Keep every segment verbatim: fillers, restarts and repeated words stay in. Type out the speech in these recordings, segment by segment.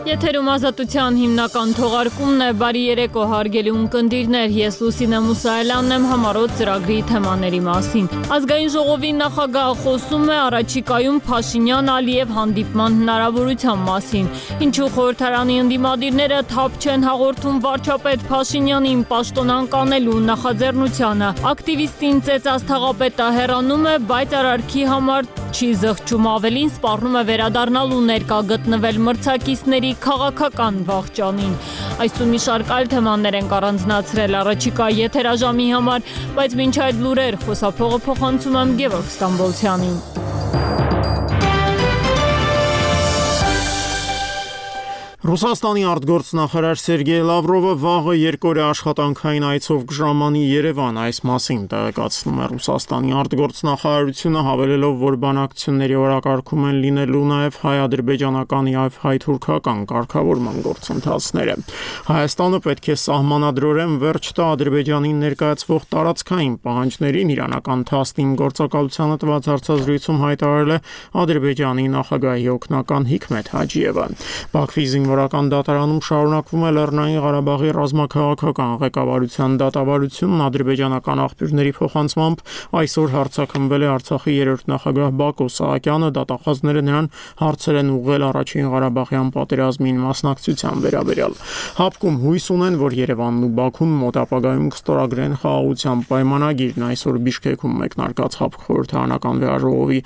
Եթերում ազատության հիմնական թողարկումն է, բարի երեկո հարգելի ունկնդիրներ, ես Լուսինե Մուսայելյանն եմ համառոտ ծրագրի թեմաների մասին։ Ազգային ժողովի նախագահը խոսում է առաջիկայում Փաշինյան-Ալիև հանդիպման հնարավորության մասին, ինչու խորհրդարանի ընդդիմադիրները թափ չեն հաղորդում վարչապետ Փաշինյանին պաշտոնանկ անելու նախաձեռնությանը։ Ակտիվիստին ծեծած թաղապետը հեռանում է, բայց արարքի համար չի զղջում, ավելին սպառնում է վերադառնալու ներկա գտնվել մրցակիցների քաղաքական վաղճանին։ Այսօր մի շարք այլ թեմաներ ենք առանձնացրել առաջիկա եթերաժամի համար, բայց մինչ այդ լուրեր խոսափողը փոխանցում եմ Գևորգ Ստամբոլցյանին։ Ռուսաստանի արտգործնախարար Սերգեյ Լավրովը վաղը երկօրյա աշխատանքային այցով կժամանի Երևան, այս մասին տեղեկացնում է Ռուսաստանի արտգործնախարարությունը, հավելելով, որ բանակցությունների օրակարգում են լինելու նաև հայ-ադրբեջանական եւ հայ-թուրքական կարգավորման գործընթացները։ Հայաստանը պետք է սահմանադրորեն վերջ տա Ադրբեջանին ներկայացվող տարածքային պահանջներին, իրանական թասնիմ գործակալությանը տված հարցազրույցում հայտարարել է Ադրբեջանի նախագահի օգնական Հիկմեթ Հաջիևը։ Բաքվի Զինվորական դատարանում շարունակվում է Լեռնային Ղարաբաղի ռազմաքաղաքական ղեկավարության դատավարությունն ադրբեջանական աղբյուրների փոխանցմամբ այսօր հարձակվել է Արցախի երրորդ նախագահ Բակո Սահակյանը, դատախազները նրան հարցեր են ուղղել առաջին Ղարաբաղյան պատերազմին մասնակցության վերաբերյալ։ Հապկում հույս ունեն, որ Երևանն ու Բաքուն մոտ ապագայում կստորագրեն խաղաղության պայմանագիրն, այսօր Բիշկեքում մեկնարկած Հապկ խորհրդարանական վեհաժողովի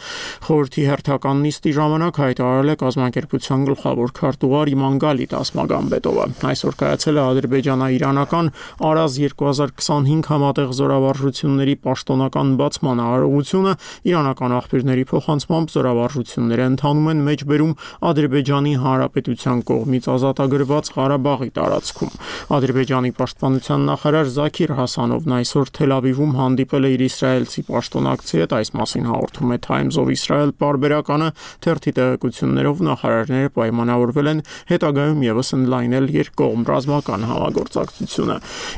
խորհրդի հերթական նիստի ժամանակ հայտարարել է կազմակերպության գլխավոր քարտուղար Իմանգալի Տասմագամբետովը։ Այսօր կայացել է ադրբեջանա-իրանական Արազ երկու հազար քսանհինգ համատեղ զորավարժությունների պաշտոնական բացման արարողությունը, իրանական աղբյուրների փոխանցմամբ զորավարժությունները ընթանում են մեջբերում Ադրբեջանի Հանրապետության կողմից ազատագրված Ղարաբաղի տարածքում։ Ադրբեջանի պաշտպանության նախարար Զաքիր Հասանովն այսօր Թել Ավիվում հանդիպել է իր իսրայելցի պաշտոնակցի հետ, այս մասին հաղորդում է Times of Israel պարբերականը, թերթի տեղեկություններով նախարարները պայմանավորվել են հետագայում ևս ընդլայնել երկկողմ ռազմական համագործակցությունը։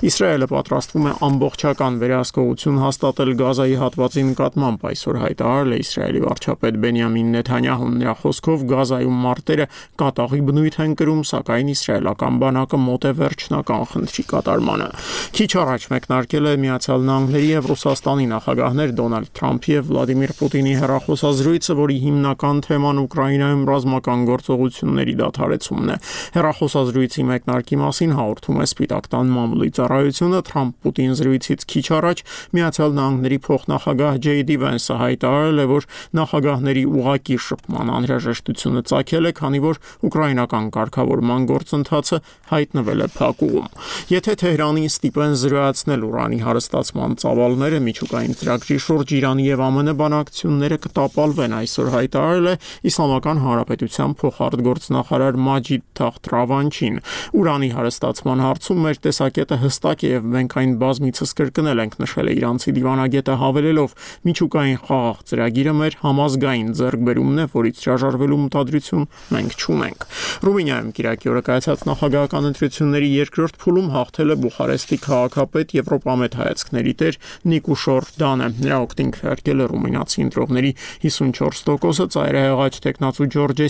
Իսրայելը պատրաստվում է ամբողջական վերահսկողություն հաստատել Գազայի հատվածի նկատմամբ, այսօր հայտարարել է Իսրայելի վարչապետ Բենյամին Նեթանյահուն։ Նրա խոսքով Գազայում մարտերը կատաղի բնույթ են կրում, սակայն իսրայելական բանակը մոտ է վերջնական խնդրի կատարմանը։ Քիչ առաջ մեկնարկել է Միացյալ Նահանգների եւ Ռուսաստանի նախագահներ Դոնալդ Թրամփի եւ Վլադիմիր Պուտինի հեռախոսազրույցը, որի հիմնական թեման Ուկրաինայում ռազմական գործողությունների դադարեցումն է։ Հեռախոսազրույցի մեկնարկի մասին հաղորդում է Սպիտակ տան մամուլի ծառայությունը։ Թրամփ-Պուտին զրույցից քիչ առաջ Միացյալ Նահանգների փոխնախագահ Ջեյ Դի Վենսը հայտարարել է, որ նախագահների ուղղակի շփման անհրաժեշտությունը ծագել է, քանի որ ուկրաինական կարգավորման գործընթացը հայտնվել է փակուղում։ Եթե Թեհրանին ստիպեն զրոյացնել ուրանի հարստացման ծավալները, միջուկային ծրագրի շուրջ Իրանի եւ ԱՄՆ բանակցությունները կտապալվեն, այսօր հայտարարել է Իսլամական Հանրապետության փոխարտգործնախարար Մաջիդ Թախտ Ռավանչին։ Ուրանի հարստացման հարցում մեր տեսակետը հստակ է եւ մենք այն բազմիցս կրկնել ենք, նշել է իրանցի դիվանագետը, հավելելով. միջուկային խաղաղ ծրագիրը մեր համազգային ձեռքբերումն է, որից հրաժարվելու մտադրություն մենք չունենք։ Ռումինիայում Կիրակի օրը կայացած նախագահական ընտրությունների երկրորդ փուլում հաղթել է Բուխարեստի քաղաքապետ Եվրոպամետ հայացքների տեր Նիկուշոր Դանը։ Նրա օգտին քվեարկել է ռումինացի ընտրողների հիսունչորս տոկոսը, ծայրահեղաչ տեխնացու Ջորջե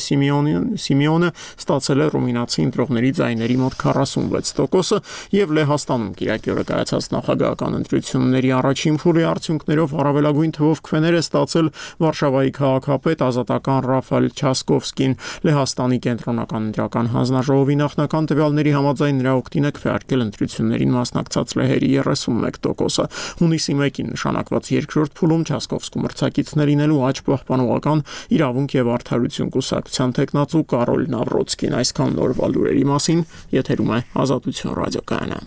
Սիմեոնը ստացել է ռումինացի ընտրողների ձայների մոտ քառասունվեց տոկոսը եւ Լեհաստանում Կիրակի օրը կայացած նախագահական ընտրությունների առաջին փուլի արդյունքներով առավելագույն թվով քվեներ է ստացել Վարշավայի քաղաքապետ ազատական Ռաֆայել Չասկովսկին։ Լեհաստանի կենտրոնական ընտրական հանձնաժողովի նախնական տվյալների համաձայն նրա օգտին է քվեարկել ընտրություններին մասնակցած լեհերի երեսունմեկ տոկոսը։ Հունիսի մեկին նշանակված երկրորդ փուլում Չասկովսկու մրցակիցներ լինելու աճ պահպանողական իրավունք եւ արդարություն կուսակցության տեխնացու Կարոլ Նավրոցկին։ Այսքան նորվա լուրերի մասին, եթերում է Ազատություն ռադիոկայանը։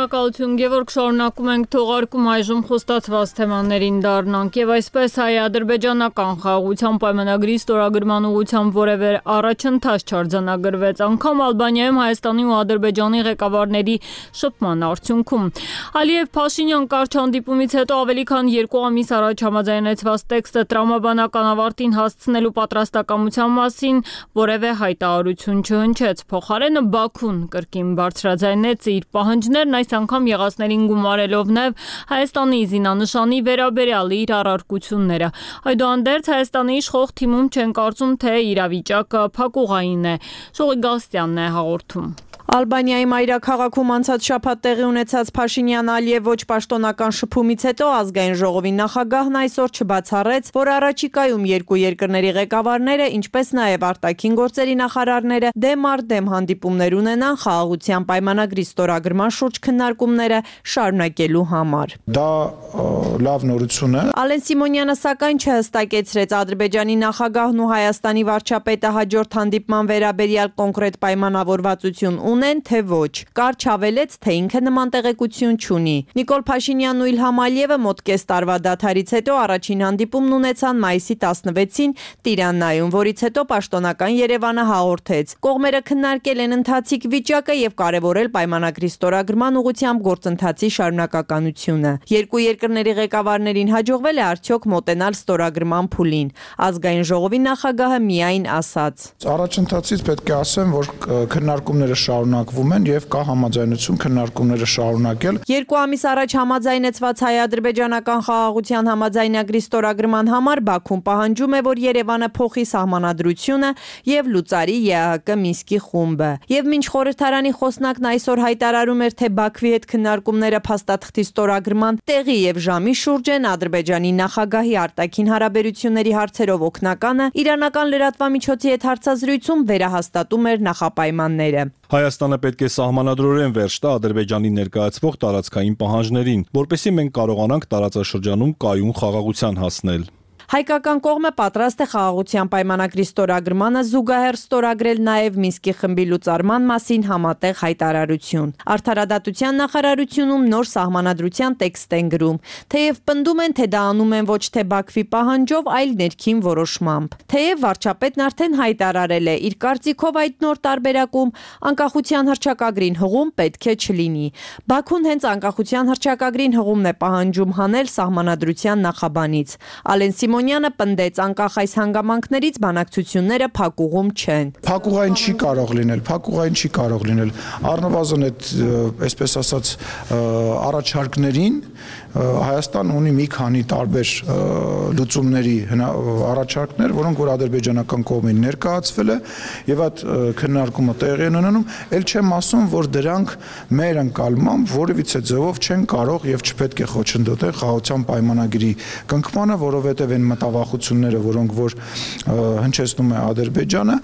Շնորհակալություն Գևորգ, շարունակում ենք թողարկում, այժմ խոստացված թեմաներին դառնանք եւ այսպես հայ-ադրբեջանական խաղաղության պայմանագրի ստորագրման ուղղությամբ որևէ առաջընթաց չարձանագրվեց, անգամ Ալբանիայում Հայաստանի ու Ադրբեջանի ղեկավարների շփման արդյունքում։ Ալիև-Փաշինյան կարճ հանդիպումից հետո ավելի քան երկու ամիս առաջ համաձայնեցված տեքստը տրամաբանական ավարտին հասցնելու պատրաստակամության մասին որևէ հայտարարություն չհնչեց։ Փոխարենը Բաքուն կրկին բարձրաձայնեց իր պահանջներն, այս անգամ անգամ եղածներին գումարելով նաև Հայաստանի զինանշանի վերաբերյալ իր առարկությունները։ Այդուհանդերձ Հայաստանի իշխող թիմում չեն կարծում, թե իրավիճակը փակուղային է։ Շողիկ Գալստյանն է հաղորդում։ Ալբանիայի մայրաքաղաքում անցած շաբաթ տեղի ունեցած Փաշինյան-Ալիև ոչ պաշտոնական շփումից հետո ազգային ժողովի նախագահն այսօր չբացառեց, որ առաջիկայում երկու երկրների ղեկավարները, ինչպես նաև արտաքին գործերի նախարարները դեմ առ դեմ հանդիպումներ ունենան խաղաղության պայմանագրի ստորագրման շուրջ քննարկումները շարունակելու համար։ Դա լավ նորություն է։ Ալեն Սիմոնյանը սակայն չհստակեցրեց Ադրբեջանի նախագահն ու Հայաստանի վարչապետը հաջորդ հանդիպման վերաբերյալ կոնկրետ պայմանավորվածություն ունեն, թե ոչ։ Կարճ հավելեց, թե ինքը նման տեղեկություն չունի։ Նիկոլ Փաշինյանն ու Իլհամ Ալիևը մոտ կես տարվա դադարից հետո առաջին հանդիպումն ունեցան մայիսի տասնվեցին Տիրանայում, որից հետո պաշտոնական Երևանը հաղորդեց։ Կողմերը քննարկել են ընթացիկ վիճակը եւ կարեւորել պայմանագրի ստորագրման ուղղությամբ գործընթացի շարունակականությունը։ Երկու երկրների ղեկավարներին հաջողվել է արդյոք մոտենալ ստորագրման փուլին։ Ազգային ժողովի նախագահը միայն ասաց. Առաջընթացից պետք է ասեմ, որ քննարկումները շարունակվում են եւ կա համաձայնություն քննարկումները շարունակել։ Երկու ամիս առաջ համաձայնեցված հայ-ադրբեջանական խաղաղության համաձայնագրի ստորագրման համար Բաքուն պահանջում է, որ Երևանը փոխի սահմանադրությունը եւ լուծարի ԵԱՀԿ Մինսկի խումբը։ Եվ մինչ խորհրդարանի խոսնակն այսօր հայտարարում էր, թե Բաքվի հետ քննարկումները փաստաթղթի ստորագրման տեղի եւ ժամի շուրջ են, Ադրբեջանի նախագահի արտաքին հարաբերությունների հարցերով օգնականը իրանական լրատվամիջոցի հետ հարցազրույցում վերահաստատում էր նախապայմանները։ Հայաստանը պետք է սահմանադրորեն վերջ տա Ադրբեջանի ներկայացվող տարածքային պահանջներին, որպեսզի մենք կարողանանք տարածաշրջանում կայուն խաղաղության հասնել։ Հայկական կողմը պատրաստ է խաղաղության պայմանագրի ստորագրմանը զուգահեռ ստորագրել նաև Մինսկի խմբի լուծարման մասին համատեղ հայտարարություն։ Արդարադատության նախարարությունում նոր սահմանադրության տեքստ են գրում, թեև պնդում են, թե դա անում են ոչ թե Բաքվի պահանջով, այլ ներքին որոշմամբ։ Թեև վարչապետն արդեն հայտարարել է, իր կարծիքով այդ նոր տարբերակում անկախության հռչակագրին հղում պետք է չլինի։ Բաքուն հենց անկախության հռչակագրին հղումն է պահանջում հանել սահմանադրության նախաբանից։ Ալեն Սիմոնյանը պնդեց, անկախ այս հանգամանքներից բանակցությունները փակուղում չեն։ Փակուղային չի կարող լինել, փակուղային չի կարող լինել։ Առնվազն այդ, այսպես ասած, առաջարկներին Հայաստան ունի մի քանի տարբեր լուծումների առաջարկներ, որոնք որ ադրբեջանական կողմին ներկայացվել է եւ այդ քննարկումը տեղի են ունենում, ել չեմ ասում, որ դրանք մեր ընկալմամբ որևիցե ձևով չեն կարող եւ չպետք է խոչընդոտեն խաղաղության պայմանագրի կնքմանը, որովհետեւ այն մտավախությունները, որոնք որ հնչեցնում է Ադրբեջանը,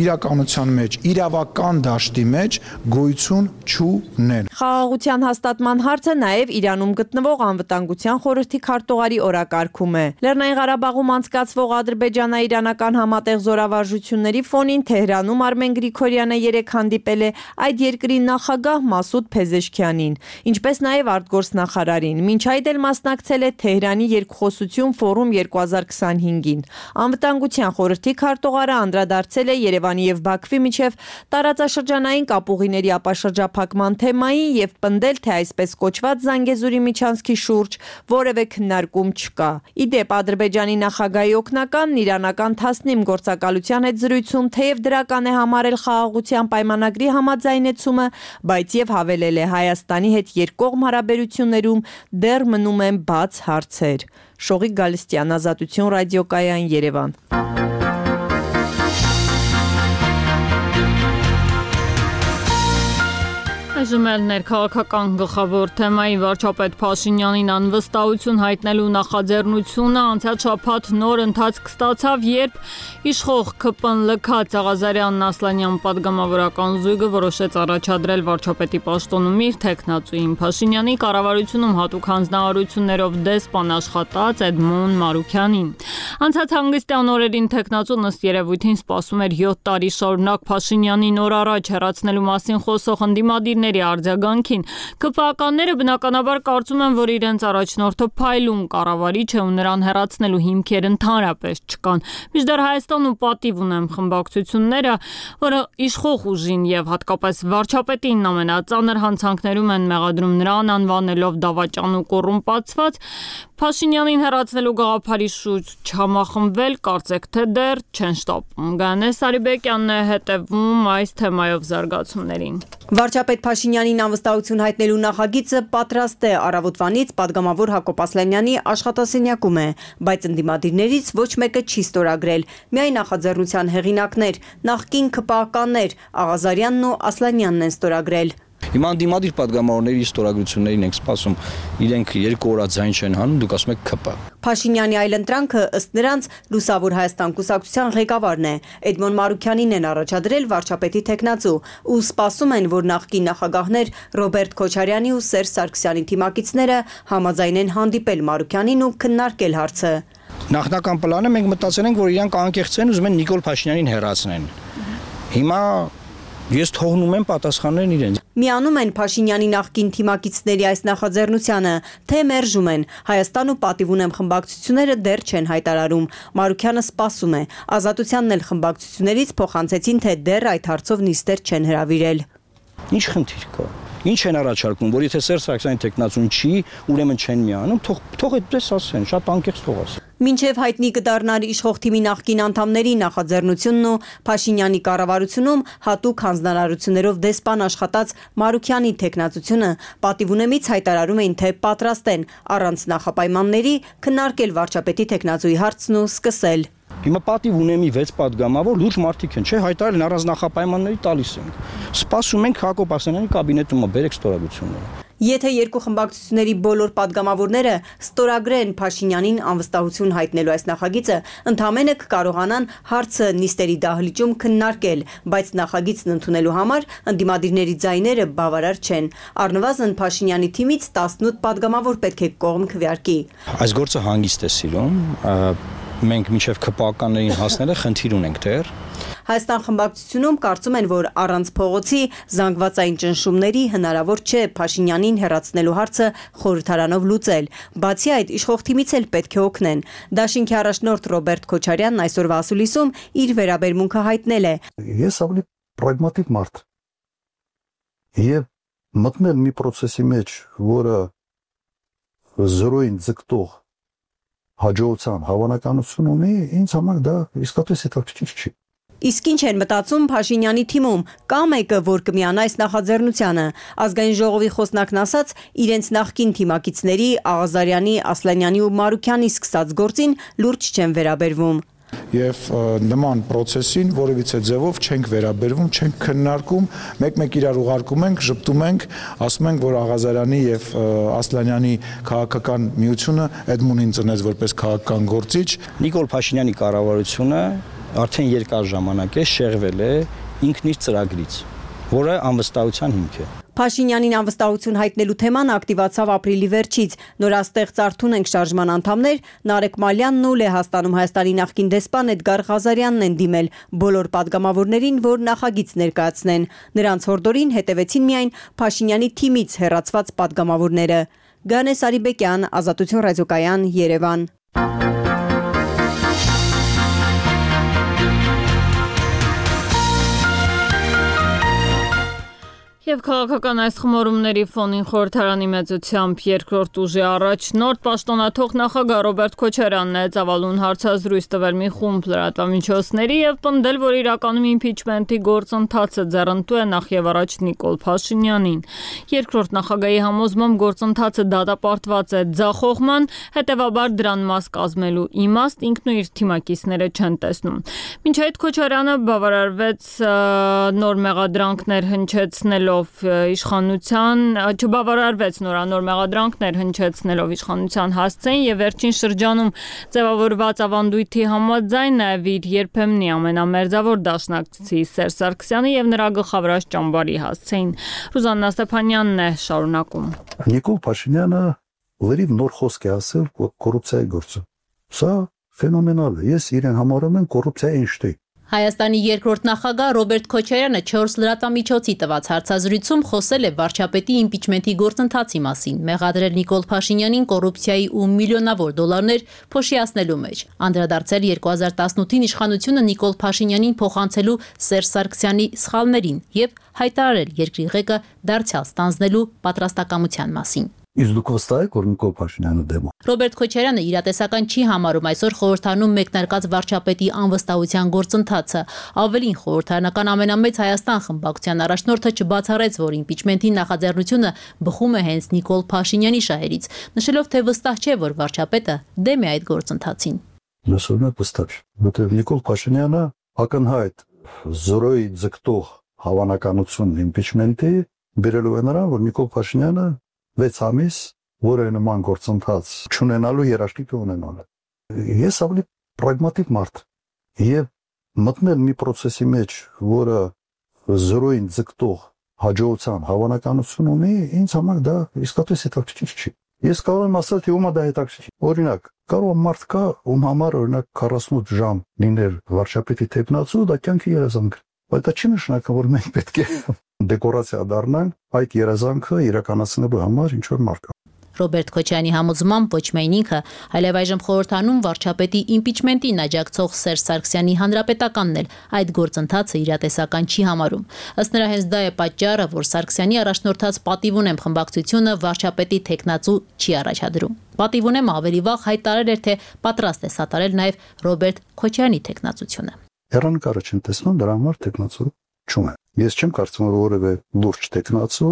իրականության մեջ, իրավական դաշտի մեջ գոյություն չունեն։ Խաղաղության հաստատման հարցը նաեւ Իրանում գտնվող անվտանգության խորհրդի քարտուղարի օրակարգում է։ Լեռնային Ղարաբաղում անցկացվող ադրբեջանա-իրանական համատեղ զորավարժությունների ֆոնին Թեհրանում Արմեն Գրիգորյանը երեկ հանդիպել է այդ երկրի նախագահ Մասուդ Փեզեշքյանին, ինչպես նաև արտգործնախարարին։ Մինչ այդ էլ մասնակցել է Թեհրանի երկխոսություն ֆորում երկու հազար քսանհինգին։ Անվտանգության խորհրդի քարտուղարը անդրադարձել է Երևանի եւ Բաքվի միջև տարածաշրջանային կապուղիների ապաշրջափակման թեմային եւ պնդել, թե այսպես կոչված Զանգեզուրի միջանցքի շուրջ որևէ քննարկում չկա։ Ի դեպ, Ադրբեջանի նախագահի օգնականն իրանական Թասնիմ գործակալության հետ զրույցում թեև դրական է համարել խաղաղության պայմանագրի համաձայնեցումը, բայց եւ հավելել է Հայաստանի հետ երկկողմ հարաբերություններում դեռ մնում են բաց հարցեր։ Շողիկ Գալստյան, Ազատություն ռադիոկայան, Երևան։ Այժմ էլ ներքաղաքական գլխավոր թեմայի վարչապետ Փաշինյանին անվստահություն հայտնելու նախաձեռնությունը անցած շաբաթ նոր ընթացք ստացավ, երբ իշխող ՔՊՆԼՔ Ղազարյանն Ասլանյան պատգամավորական զույգը որոշեց առաջադրել վարչապետի պաշտոնում իր թեկնածուին։ Փաշինյանի կառավարությունում հատուկ հանձնարարություններով դեսպան աշխատած Էդմոն Մարուքյանին։ Անցած հանգստյան օրերին թեկնածուն ըստ երևույթին սպասում էր յոթ տարի շարունակ Փաշինյանին օր առաջ հեռացնելու մասին խոսող ընդդիմադիրների արձագանքին։ ԿՊԱ-ականները բնականաբար կարծում են, որ իրենց առաջնորդը փայլուն կառավարիչ է ու նրան հեռացնելու հիմքեր ընդհանրապես չկան։ Մինչդեռ Հայաստան ու պատիվ ունեմ խմբակցությունները, որը իշխող ուժին եւ հատկապես վարչապետին ամենածանր հանցանքներում են մեղադրում նրան, անվանելով դավաճան ու կոռումպացված, Փաշինյանին հեռացնելու գաղափարի շուրջ չհամախմբվել, կարծեք թե դեռ չեն շտապում։ Գանե Սարիբեկյանն է հետևում այս թեմայով զարգացումներին։ Վարչապետ Փաշինյանին անվստահություն հայտնելու նախագիծը պատրաստ է, առավոտվանից պատգամավոր Հակոբ Ասլանյանի աշխատասենյակում է, բայց ընդդիմադիրներից ոչ մեկը չի ստորագրել։ Միայն նախաձեռնության հեղինակներ, նախկին ՔՊԱ-ականներ Աղազարյանն ու Ասլանյանն են ստորագրել։ Հիմա անդիմադիր պատգամավորների ստորագրություններին ենք սպասում, իրենք երկու օր ձայն չեն հանում, դուք ասում եք ՔՊ։ Փաշինյանի այլընտրանքը ըստ նրանց Լուսավոր Հայաստան կուսակցության ղեկավարն է։ Էդմոն Մարուքյանին են առաջադրել վարչապետի թեկնածու ու սպասում են, որ նախկին նախագահներ Ռոբերտ Քոչարյանի ու Սերժ Սարգսյանի թիմակիցները համաձայնեն հանդիպել Մարուքյանին ու քննարկել հարցը։ Նախնական պլանը մենք մտածել ենք, որ իրանք անկեղծ են, ուզում են Նիկոլ Փաշինյանին հեռացնեն։ Հիմա ես թողնում եմ պատասխաններն իրենց։ Միանում են Փաշինյանի նախկին թիմակիցների այս նախաձեռնությանը, թե մերժում են։ Հայաստան ու պատիվ ունեմ խմբակցությունները դեռ չեն հայտարարում։ Մարուքյանը սպասում է։ Ազատությանն էլ խմբակցություններից փոխանցեցին, թե դեռ այդ հարցով նիստեր չեն հրավիրել։ Ինչ խնդիր կա։ Ինչ են առաջարկում, որ եթե Սերժ Սարգսյանի տեխնացուն չի, ուրեմն չեն միանում, թող թող այդպես ասեն, շատ անկեղծ թող ասեն։ Մինչև հայտնի կդառնար իշխող թիմի նախկին անդամների նախաձեռնությունն ու Փաշինյանի կառավարությունում հատուկ հանձնարարություններով դեսպան աշխատած Մարուքյանի տեխնացությունը պատիվ ունեմից հայտարարում էին, թե պատրաստ են առանց նախապայմանների քննարկել վարչապետի տեխնացուի հարցն ու սկսել։ Հիմա պատիվ ունեմի վեց պատգամավոր լուրջ մարդիկ են, չէ, հայտարարել են առանց նախապայմանների տալիս ենք։ Սպասում ենք Հակոբ Ասլանյանի կաբինետում բերեք ստորագրությունները։ Եթե երկու խմբակցությունների բոլոր պատգամավորները ստորագրեն Փաշինյանին անվստահություն հայտնելու այս նախագիծը, ընդհանրապես կկարողանան հարցը նիստերի դահլիճում քննարկել, բայց նախագիծն ընդունելու համար ընդդիմադիրների ձայները բավարար չեն։ Առնվազն Փաշինյանի թիմից տասնութ պատգամավոր պետք է կողմ քվեարկի։ Այս գործը հանգիստ է սիրում, մենք մինչև ՔՊԱ-ականներին հասնելը խնդիր ունենք դեռ։ Հայաստան խմբակցությունում կարծում են, որ առանց փողոցի զանգվածային ճնշումների հնարավոր չէ Փաշինյանին հեռացնելու հարցը խորհրդարանով լուծել։ Բացի այդ, իշխող թիմից էլ պետք է օգնեն։ Դաշինքի առաջնորդ Ռոբերտ Քոչարյանն այսօրվա ասուլիսում իր վերաբերմունքը հայտնել է։ Ես ավելի պրագմատիկ մարդ եւ մտնել մի process-ի մեջ, որը զրոյին ձգտող հաջողության հավանականություն ունի, ինձ համար դա իսկապես հետաքրքիր չի։ Իսկ ինչ են մտածում Փաշինյանի թիմում, կա մեկը, որ կմիանա այս նախաձեռնությանը։ Ազգային ժողովի խոսնակն ասաց, իրենց նախկին թիմակիցների Աղազարյանի, Ասլանյանի ու Մարուքյանի սկսած գործին լուրջ չեն վերաբերվում։ Եվ նման process-ին որևիցե ձևով չենք վերաբերվում, չենք քննարկում, մեկ-մեկ իրար ուղարկում ենք, ժպտում ենք, ասում ենք, որ Աղազարյանի եւ Ասլանյանի քաղաքական միությունը Էդմոնին ծնեց որպես քաղաքական գործիչ։ Նիկոլ Փաշինյանի կառավարությունը արդեն երկար ժամանակ է շեղվել է ինքն իր ծրագրից, որը անվստահության հիմք է։ Փաշինյանին անվստահություն հայտնելու թեման ակտիվացավ ապրիլի վերջից։ Նորաստեղծ Արթուն ենք շարժման անդամներ Նարեկ Մալյանն ու Լեհաստանում Հայաստանի նախկին դեսպան Էդգար Ղազարյանն են դիմել բոլոր պատգամավորներին, որ նախագիծ ներկայացնեն։ Նրանց հորդորին հետևեցին միայն Փաշինյանի թիմից հեռացված պատգամավորները։ Գանե Սարիբեկյան, Ազատություն ռադիոկայան, Երևան։ Եվ քաղաքական այս խմորումների ֆոնին խորհրդարանի մեծությամբ երկրորդ ուժի առաջնորդ պաշտոնաթող նախագահ Ռոբերտ Քոչարյանն է ծավալուն հարցազրույց տվել մի խումբ լրատվամիջոցների եւ պնդել, որ իրականում իմպիչմենտի գործընթացը ձեռնտու է նախ եւ առաջ Նիկոլ Փաշինյանին։ Երկրորդ նախագահի համոզմամբ գործընթացը դատապարտված է ձախողման, հետեւաբար դրան մաս կազմելու իմաստ ինքն ու իր թիմակիցները չեն տեսնում։ Մինչ այդ Քոչարյանը բավարարվեց նոր մեղադրանքներ հնչեցնելով իշխանության չբավարարվեց նորանոր մեղադրանքներ հնչեցնելով իշխանության հասցեն եւ վերջին շրջանում ձևավորված ավանդույթի համաձայն նաեւ իր երբեմնի ամենամերձավոր դաշնակցի Սերժ Սարգսյանը եւ նրա գլխավորած ճամբարի հասցեն։ Ռուզաննա Ստեփանյանն է շարունակում։ Նիկոլ Փաշինյանը լրիվ նոր խոսք է ասել կոռուպցիայի գործը։ Սա ֆենոմենալ է։ Ես իրեն համարում եմ կոռուպցիայի Էյնշտեյն։ Հայաստանի երկրորդ նախագահ Ռոբերտ Քոչարյանը չորս լրատվամիջոցի տված հարցազրույցում խոսել է վարչապետի իմպիչմենտի գործընթացի մասին, մեղադրել Նիկոլ Փաշինյանին կոռուպցիայի ու միլիոնավոր դոլարներ փոշիացնելու մեջ, անդրադարձել երկու հազար տասնութին իշխանությունը Նիկոլ Փաշինյանին փոխանցելու Սերժ Սարգսյանի սխալներին եւ հայտարարել երկրի ղեկը դարձյալ ստանձնելու պատրաստակամության մասին։ Իսկ դուք վստահ եք, որ Նիկոլ Փաշինյանը դեմ է։ Ռոբերտ Քոչարյանը իրատեսական չի համարում այսօր խորհրդանում մեկնարկած վարչապետի անվստահության գործընթացը։ Ավելին, խորհրդարանական ամենամեծ Հայաստան խմբակցության առաջնորդը չբացառեց, որ իմպիչմենտի նախաձեռնությունը բխում է հենց Նիկոլ Փաշինյանի շահերից, նշելով, թե վստահ չէ, որ վարչապետը դեմ է այդ գործընթացին։ Լսում վստահ, որտեղ Նիկոլ Փաշինյանը ակնհայտ զորոյի ձգտող հավանականություն իմպիչմենտի բերելու է նրան, որ Նիկոլ Փաշինյանը վեց ամիս որը նման գործընթաց չունենալու երաշխիք ունենալ։ Ես ավելի պրագմատիկ մարդ եւ մտնել մի process-ի մեջ, որը զորոյին ձգտող հաջողության հավանականություն ունի, ինձ համար դա իսկապես հետաքրքիր չի։ Ես կարող եմ ասել, թե ումա դա հետաքրքիր։ Օրինակ, կարող մարդ կա, ում համար օրինակ քառասունութ ժամ լիներ վարչապետի տեխնացու, դա կյանքի երազանք։ Բայց դա չի նշանակում, որ մենք պետք է դեկորացիա դառնանք այդ երազանքը իրականացնելու համար ինչ որ մարդ կա։ Ռոբերտ Քոչարյանի համոզմամբ ոչ միայն ինքը, այլև այժմ խորհրդանում վարչապետի իմպիչմենտին աջակցող Սերժ Սարգսյանի հանրապետականն էլ այդ գործընթացը իրատեսական չի համարում։ Ըստ նրա հենց դա է պատճառը, որ Սարգսյանի առաջնորդած պատիվունեմ խմբակցությունը վարչապետի տեխնացու չի առաջադրում։ Պատիվունեմը ավելի վաղ հայտարարել էր, թե պատրաստ է սատարել նաև Ռոբերտ Քոչարյանի տեխնացությունը։ Հեռանկարը չեմ տեսնում, դրա համար տեխնացու չունեմ։ Ես չեմ կարծում, որ որևէ լուրջ տեխնացու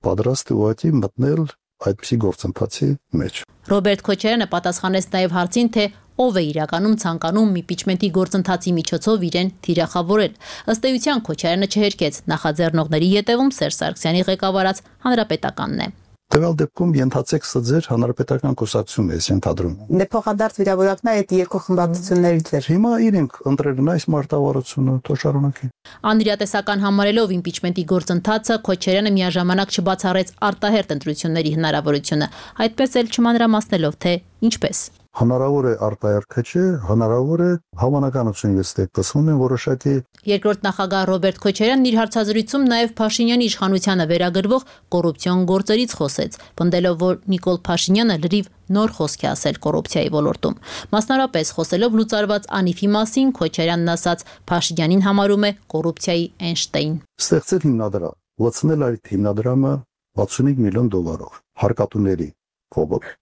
պատրաստ է ուղղակի մտնել այդպիսի գործընթացի մեջ։ Ռոբերտ Քոչարյանը պատասխանեց նաև հարցին, թե ով է իրականում ցանկանում իմպիչմենտի գործընթացի միջոցով իրեն թիրախավորել։ Ըստ էության Քոչարյանը չհերքեց, նախաձեռնողների ետևում Սերժ Սարգսյանի ղեկավարած հանրապետականն է։ Տվյալ դեպքում ենթացեք սա ձեր հանրապետական կուսակցությունն է ենթադրում։ Դե փոխադարձ վիրավորակն է այդ երկու խմբակցություններից էր։ Հիմա իրենք ընտրելն այս մարտավարությունը թող շարունակի։ Անիրատեսական համարելով իմպիչմենտի գործընթացը Քոչարյանը միաժամանակ չբացառեց արտահերթ ընտրությունների հնարավորությունը, այդպես էլ չմանրամասնելով, թե ինչպես։ Հնարավոր է արտահերթը չէ, հնարավոր է հավանականություն ես տեսնում եմ որոշակի։ Երկրորդ նախագահ Ռոբերտ Քոչարյանն իր հարցազրույցում նաև Փաշինյանի իշխանությանը վերագրվող կոռուպցիոն գործերից խոսեց, պնդելով, որ Նիկոլ Փաշինյանը լրիվ նոր խոսք է ասել կոռուպցիայի ոլորտում։ Մասնարարպես խոսելով լուծարված Անիֆի մասին Քոչարյանն ասաց, Փաշինյանին համարում է կոռուպցիայի Էյնշտեյն։ Ստեղծել հիմնադրամ, լցնել այդ հիմնադրամը վաթսունհինգ միլիոն դոլարով հարկատուների կողմով։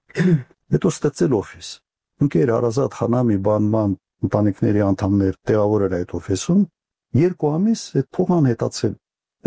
Հետո ստեղծել օֆիս։ Ընկեր Արազատ Խանամի բանման ընտանիքների անդամներ տեղավորել այդ օֆիսում, երկու ամիս այդ փողն անհետացել։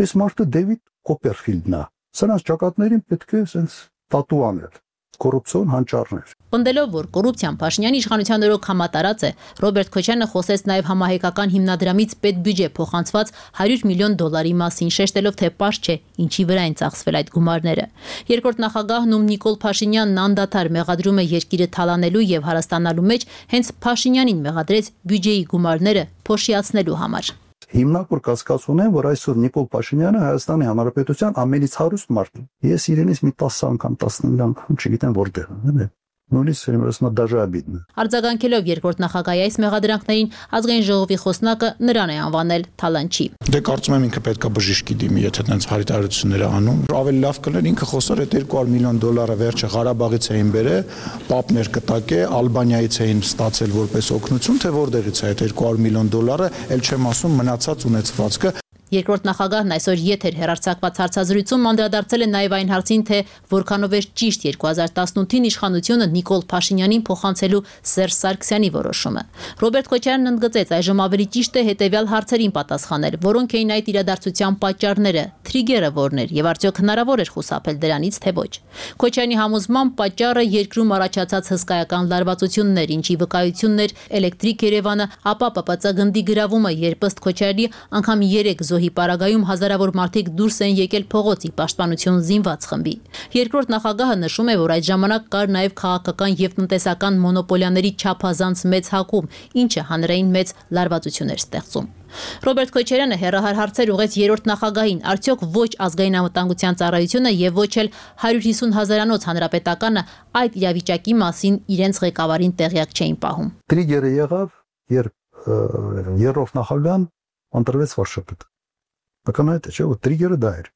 Այս մարդը Դեվիդ Կոպերֆիլդն է։ Սրանց ճակատներին պետք է sense տատու անել։ Կոռուպցիոն հանճարներ։ Պնդելով, որ կոռուպցիան Փաշինյանի իշխանության օրոք համատարած է, Ռոբերտ Քոչարյանը խոսեց նաև համահայկական հիմնադրամից պետբյուջե փոխանցված հարյուր միլիոն դոլարի մասին, շեշտելով, թե պարզ չէ ինչի վրա են ծախսվել այդ գումարները։ Երկրորդ նախագահն ում Նիկոլ Փաշինյանն անդադար մեղադրում է երկիրը թալանելու եւ հարստանալու մեջ, հենց Փաշինյանին մեղադրեց բյուջեի գումարները փոշիացնելու համար։ Հիմնակոր կասկած ունեմ, որ այսօր Նիկոլ Փաշինյանը Հայաստանի Հանրապետության ամենից հարուստ մարդն է։ Ես իրենից մի տասը անգամ, տասնինը անգամ չգիտեմ որտեղ է։ Նույնիսկ երբ դաժե աբիդն։ Արձագանքելով երկրորդ նախագահի այս մեղադրանքներին, ազգային ժողովի խոսնակը նրան է անվանել թալանչի։ Դե կարծում եմ ինքը պետքա բժիշկի դիմի, եթե այդպես հարիտարություններ անում։ Ավելի լավ կլներ ինքը խոսար այդ երկու հարյուր միլիոն դոլարը վերջը Ղարաբաղից էին բերել, պապներ կտակե, Ալբանիայից էին ստացել որպես օգնություն, թե որտեղից է այդ երկու հարյուր միլիոն դոլարը, ել չեմ ասում մնացած ունեցվածքը։ Երկրորդ նախագահն այսօր եթեր հեռարձակված հարցազրույցում անդրադարձել է նաև այն հարցին, թե որքանով էր ճիշտ երկու հազար տասնութին իշխանությունը Նիկոլ Փաշինյանին փոխանցելու Սերժ Սարգսյանի որոշումը։ Ռոբերտ Քոչարյանն ընդգծեց, այժմ ավելի ճիշտ է հետևյալ հարցերին պատասխանել, որոնք էին այդ իրադարձության պատճառները, թրիգերը որն էր եւ արդյոք հնարավոր էր խուսափել դրանից, թե ոչ։ Քոչարյանի համոզմամբ պատճառը երկրում առաջացած հսկայական լարվածությունն էր, ինչի վկայությունն էր Էլեկտրիկ Երևանը, ապա Պ Պ Ծ գնդի գրավումը, երբ ըստ Քոչարյանի անգամ երեք զոհի պարագայում հազարավոր մարդիկ դուրս են եկել փողոցի պաշտպանություն զինված խմբի։ Երկրորդ նախագահը նշում է, որ այդ ժամանակ կար նաև քաղաքական եւ տնտեսական մոնոպոլիաների չափազանց մեծ հակում, ինչը հանրային մեծ լարվածություն էր ստեղծում։ Ռոբերտ Քոչարյանը հերահար հարցեր ուղեց երրորդ նախագահին, արդյոք ոչ ազգային անվտանգության ծառայությունը եւ ոչ էլ հարյուր հիսուն հազարանոց հանրապետականը այդ իրավիճակի մասին իրենց ղեկավարին տեղյակ չէին պահում։ Տրիգերը եղավ, երբ երրորդ նախագահան ընտրվեց վարչապետ։ Ակնհայտ է, չէ՞ որ տրիգերը դա էր։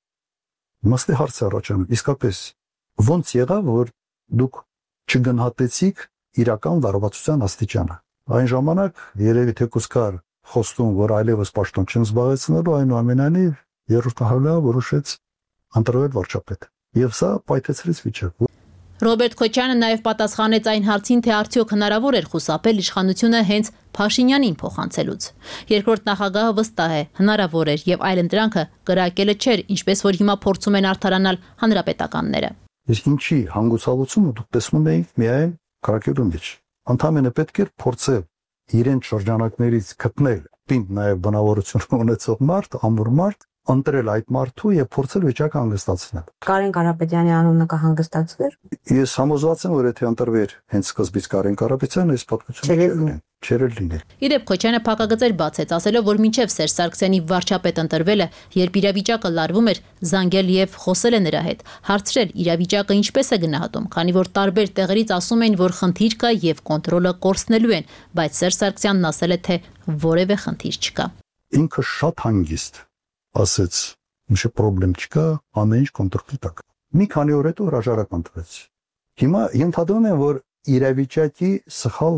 Մստի հարց է առաջանում, իսկապես ո՞նց եղավ, որ դուք չգնահատեցիք իրական լարվածության աստիճանը։ Այն ժամանակ երևի թեկուզ կար խոստում, որ այլևս պաշտոն չեն զբաղեցնելու, այնուամենայնիվ երրորդ նախագահը որոշեց ընտրվել վարչապետ։ Եվ սա պայթեցրեց վիճակը։ Ռոբերտ Քոչարյանը նաև պատասխանեց այն հարցին, թե արդյոք հնարավոր էր խուսափել իշխանությունը հենց Փաշինյանին փոխանցելուց։ Երկրորդ նախագահը վստահ է, հնարավոր էր եւ այլընտրանքը կրակելը չէր, ինչպես որ հիմա փորձում են արդարանալ հանրապետականները։ Իսկ ինչի հանգուցալուծումը դուք տեսնում եք միայն քրակելու մեջ։ Ընդհանրապես պետք է փորձել իրեն շրջանակներից գտնել պինդ նաև բնավորություն ունեցող մարդ, ամուր մարդ, ընտրել այդ մարդու եւ փորձել վիճակը հանգստացնել։ Կարեն Կարապետյանի անունը կհանգստացվեր։ Ես համոզված եմ, որ եթե ընտրվեր հենց սկզբից Կարեն Կարապետյանը, այս պատմությունը չէր լինել։ Իդեպ Քոչյանը փակագծեր բացեց, ասելով, որ մինչև Սերժ Սարգսյանի վարչապետ ընտրվելը, երբ իրավիճակը լարվում էր, զանգել եւ խոսել է նրա հետ, հարցրել իրավիճակը ինչպես է գնահատում, քանի որ տարբեր տեղերից ասում էին, որ խնդիր կա եւ կոնտրոլը կորցնելու են, բայց Սերժ Սարգսյանն ասել է, թե որևէ խնդիր չկա։ Ինքը շատ հանգիստ ասեց, «Ինչ պրոբլեմ չկա, ամեն ինչ կոնտրոլի տակ»։ Մի քանի օր հետո հրաժարական տվեց։ Հիմա ենթադրում եմ, որ իրավիճակի սխալ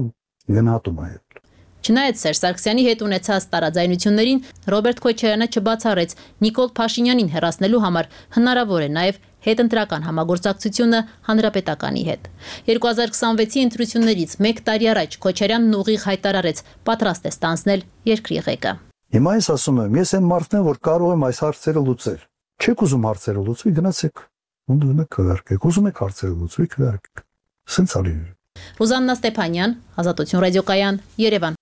գնահատում է եղել։ Չնայած Սերժ Սարգսյանի հետ ունեցած տարաձայնություններին, Ռոբերտ Քոչարյանը չբացառեց Նիկոլ Փաշինյանին հեռացնելու համար հնարավոր է նաև հետընտրական համագործակցությունը հանրապետականի հետ։ երկու հազար քսանվեցի ընտրություններից մեկ տարի առաջ Քոչարյանն ուղիղ հայտարարեց, պատրաստ է ստանձնել երկրի ղեկը։ Հիմա ես ասում եմ, ես այն մարդն եմ, որ կարող եմ այս հարցերը լուծել։ Չեք ուզում հարցերը լուծվի, գնացեք։ Ո՞նց քվարկեք։ Ուզում եք հարցերը լուծվի, քվարկեք։ Սենց ալի։ Ռուզաննա Ստեփանյան, Ազատություն ռադիոկայան, Երևան։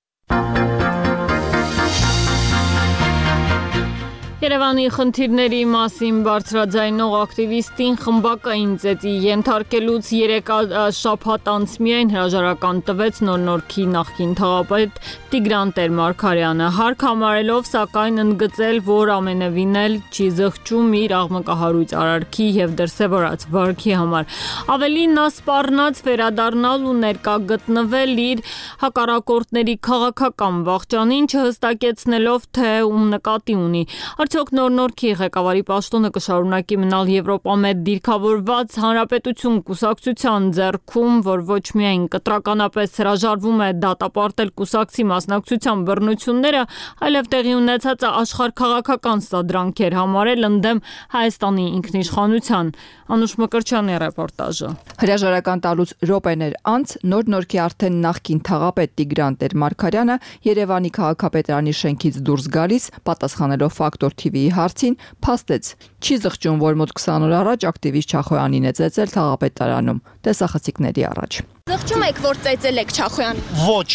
Երևանի խնդիրների մասին բարձրաձայնող ակտիվիստին խմբակային ծեծի ենթարկելուց երեք շաբաթ անց միայն հրաժարական տվեց Նոր Նորքի նախկին թաղապետ Տիգրան Տեր-Մարգարյանը, հարկ համարելով սակայն ընդգծել, որ ամենևին էլ չի զղջում իր աղմկահարույց արարքի եւ դրսեւորած վարքի համար։ Ավելին նա սպառնաց վերադառնալ ու ներկա գտնվել իր հակառակորդների քաղաքական վախճանին, չհստակեցնելով, թե ում նկատի ունի։ Արդյոք Նոր Նորքի ղեկավարի պաշտոնը կշարունակի մնալ Եվրոպամետ դիրքավորված Հանրապետություն կուսակցության ձեռքում, որ ոչ միայն կտրականապես հրաժարվում է դատապարտել կուսակցի մասնակցության բռնությունները, այլև տեղի ունեցած աշխարհքաղաքական սադրանքեր համարել ընդդեմ Հայաստանի ինքնիշխանության։ Անուշ Մկրտչյանի ռեպորտաժը։ Հրաժարական տալուց րոպեներ անց Նոր Նորքի արդեն նախկին թաղապետ Տիգրան Տեր-Մարգարյանը Երևանի քաղաքապետարանի շենքից դուրս գալիս, պատասխանելով Ֆակտոր թի վիի հարցին, փաստեց, չի զղջում, որ մոտ քսան օր առաջ ակտիվիստ Չախոյանին է ծեծել թաղապետարանում, տեսախցիկների առաջ։ Զղջում եք, որ ծեծել եք Չախոյանին։ Ոչ։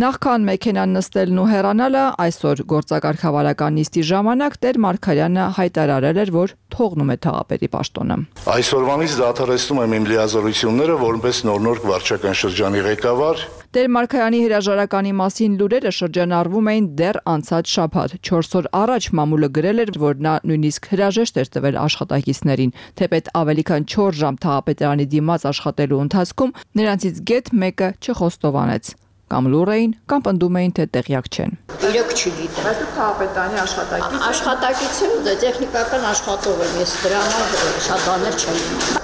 Նախքան մեքենան նստելն ու հեռանալը, այսօր գործակարգավարական նիստի ժամանակ Տեր-Մարգարյանը հայտարարել էր, որ թողնում է թաղապետի պաշտոնը։ Այսօրվանից դադարեցնում եմ իմ լիազորությունները որպես Նոր Նորք վարչական շրջանի ղեկավար։ Տեր-Մարգարյանի հրաժարականի մասին լուրերը շրջանառվում էին դեռ անցած շաբաթ։ չորս օր առաջ մամուլը գրել էր, որ նա նույնիսկ հրաժեշտ էր տվել աշխատակիցներին, թեպետ ավելի քան չորս ժամ թաղապետարանի դիմաց աշխատելու ընթացքում նրանցից գեթ մեկը չխոստովանեց։ Կամ լուր էին, կամ պնդում էին, թե տեղյակ չեն։ Իրոք չգիտեմ։ Բայց դուք թաղապետարանի աշխատակից եք։ Աշխատակից եմ, դե տեխնիկական աշխատող եմ, ես դրա համար շատ բաներ չեմ իմանում։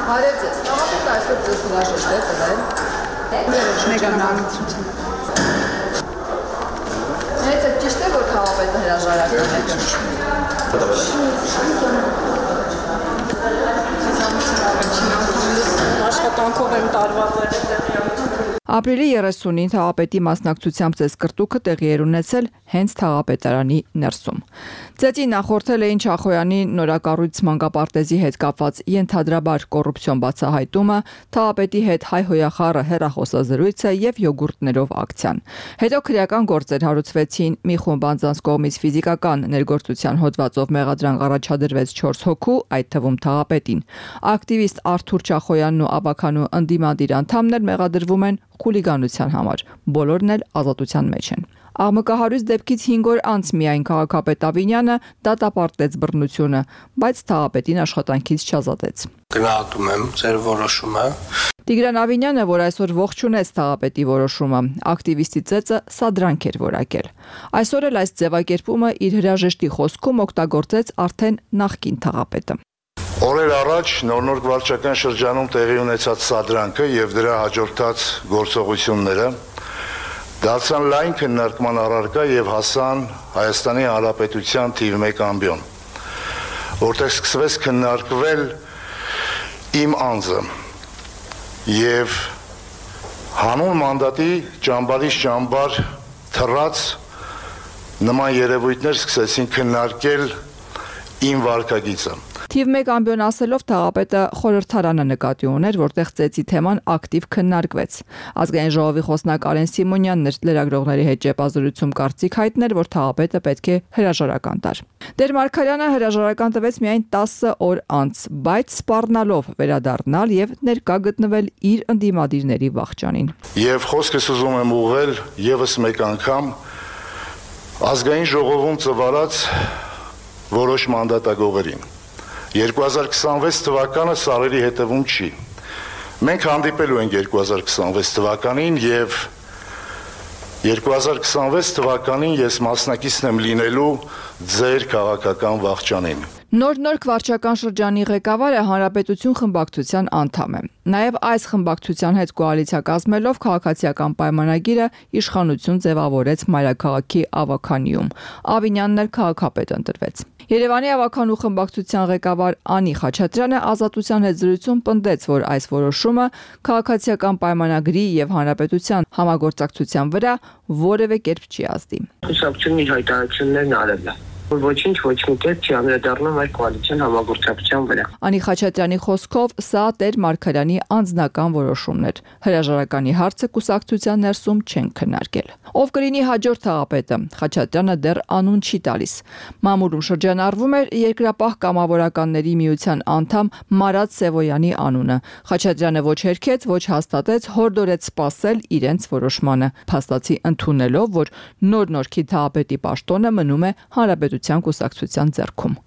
Բարև ձեզ, թաղապետը այսօր ձեզ հրաժեշտ է տվել։ Մեգանալություն։ Հենց է ճիշտ է, որ թաղապետը հրաժարական է։ Աշխատանքով եմ տարվա վերևը։ Ապրիլի երեսունին թաղապետի մասնակցությամբ ծեսկրտուքը տեղի էր ունեցել հենց թաղապետարանի ներսում։ Ծեծի նախորդել էին Չախոյանի նորակառույց մանկապարտեզի հետ կապված ենթադրաբար կոռուպցիոն բացահայտումը, թաղապետի հետ հայհոյախառը հեռախոսազրույցը եւ յոգուրտներով ակցիան։ Հետո քրեական գործեր հարուցվեցին, մի խումբ անձանց կողմից ֆիզիկական ներգործության հոդվածով մեղադրանք առաջադրվեց չորս հոգու, այդ թվում թաղապետին։ Ակտիվիստ Արթուր Չախոյանն ու Աբաքանու ընդդիմադիր անդամներ մեղադրվում են խուլիգանության համար, բոլորն էլ ազատության մեջ են։ Աղմկահարույց դեպքից հինգ օր անց միայն քաղաքապետ Ավինյանը դատապարտեց բռնությունը, բայց թաղապետին աշխատանքից չազատեց։ Գնահատում եմ ձեր որոշումը։ Տիգրան Ավինյանը, որ այսօր ողջունեց թաղապետի որոշումը, ակտիվիստի ծեծը սադրանք էր որակել։ Այսօր էլ այս ձևակերպումը իր հրաժեշտի խոսքում օգտագործեց արդեն նախկին թաղապետը։ Օրեր առաջ Նոր Նորք վարչական շրջանում տեղի ունեցած սադրանքը եւ դրա հաջորդած գործողությունները դարձան լայն քննարկման առարկա եւ հասան Հայաստանի Հանրապետության թիվ մեկ ամբիոն, որտեղ սկսվեց քննարկվել իմ անձը եւ հանուն մանդատի ճամբարից ճամբար թռած նման երևույթներ սկսեցին քննարկել իմ վարքագիծը։ Թիվ մեկ ամբիոն ասելով թաղապետը խորհրդարանը նկատի ուներ, որտեղ ծեծի թեման ակտիվ քննարկվեց։ Ազգային ժողովի խոսնակ Արեն Սիմոնյանն էր լրագրողների հետ ճեպազրույցում կարծիք հայտնել, որ թաղապետը պետք է հրաժարական տար։ Տեր Մարգարյանը հրաժարական տվեց միայն տասը օր անց, բայց սպառնալով վերադառնալ եւ ներկա գտնվել իր ընդդիմադիրների վախճանին։ Եվ խոսքս ուզում եմ ուղղել եւս մեկ անգամ ազգային ժողովում ծվարած որոշ մանդատագողերին։ երկու հազար քսանվեց թվականը սարերի հետևում չի։ Մենք հանդիպելու ենք երկու հազար քսանվեց թվականին եւ երկու հազար քսանվեց թվականին ես մասնակիցն եմ լինելու ձեր քաղաքական վախճանին։ Նոր-նոր վարչական շրջանի ղեկավարը Հանրապետություն խմբակցության անդամ է։ Նաև այս խմբակցության հետ կոալիցիա կազմելով քաղաքացիական պայմանագիրը իշխանություն ձևավորեց մայրաքաղաքի Ավաքանիում։ Ավինյանն էլ քաղաքապետ ընտրվեց։ Երևանի Ավաքանու խմբակցության ղեկավար Անի Խաչատրյանը Ազատության հետ զրույցում պնդեց, որ այս որոշումը քաղաքացիական պայմանագրի եւ Հանրապետության համագործակցության վրա որևէ կերպ չի ազդի։ Խմբակցությունի հայտարարություններն արել է։ Ոչինչ ոչ մի կերպ չի անդրադառնում այդ կոալիցիոն համագործակցության վրա։ Անի Խաչատրյանի խոսքով սա Տեր Մարգարյանի անձնական որոշումն էր։ Հրաժարականի հարցը կուսակցության ներսում չեն քննարկել։ Ով կլինի հաջորդ թաղապետը, Խաչատրյանը դեռ անուն չի տալիս։ Մամուլում շրջանառվում էր Երկրապահ կամավորականների միության անդամ Մարատ Սևոյանի անունը։ Խաչատրյանը ոչ հերքեց, ոչ հաստատեց, հորդորեց սպասել իրենց որոշմանը, փաստացի ընդունելով, որ նոր Նորքի թաղապետի պաշտոնը մնում է Հանրապետության կուսակցության ձեռքում։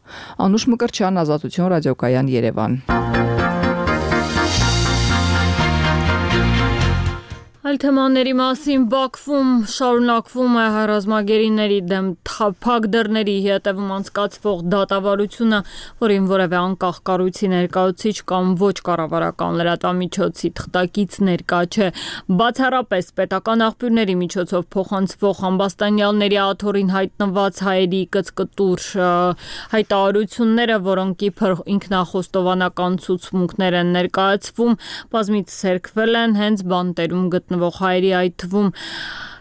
Անուշ Մկրտչյան, Ազատություն ռադիոկայան, Երևան։ Այլ թեմաների մասին Բաքվում շարունակվում է ռազմագերիների դեմ փակ դռների հետևում անցկացվող դատավարությունը, որին որևէ անկախ կառույցի ներկայացուցիչ կամ ոչ կառավարական լրատվամիջոցի թղթակից ներկա չէ։ Բացառապես պետական աղբյուրների միջոցով փոխանցվող ամբաստանյալների աթոռին հայտնված հայերի կծկտուր հայտարարությունները, որոնք իբր ինքնախոստովանական ցուցմունքներ են ներկայացվում, բազմիցս հերքվել են հենց բանտերում գտնվող հայերի, այդ թվում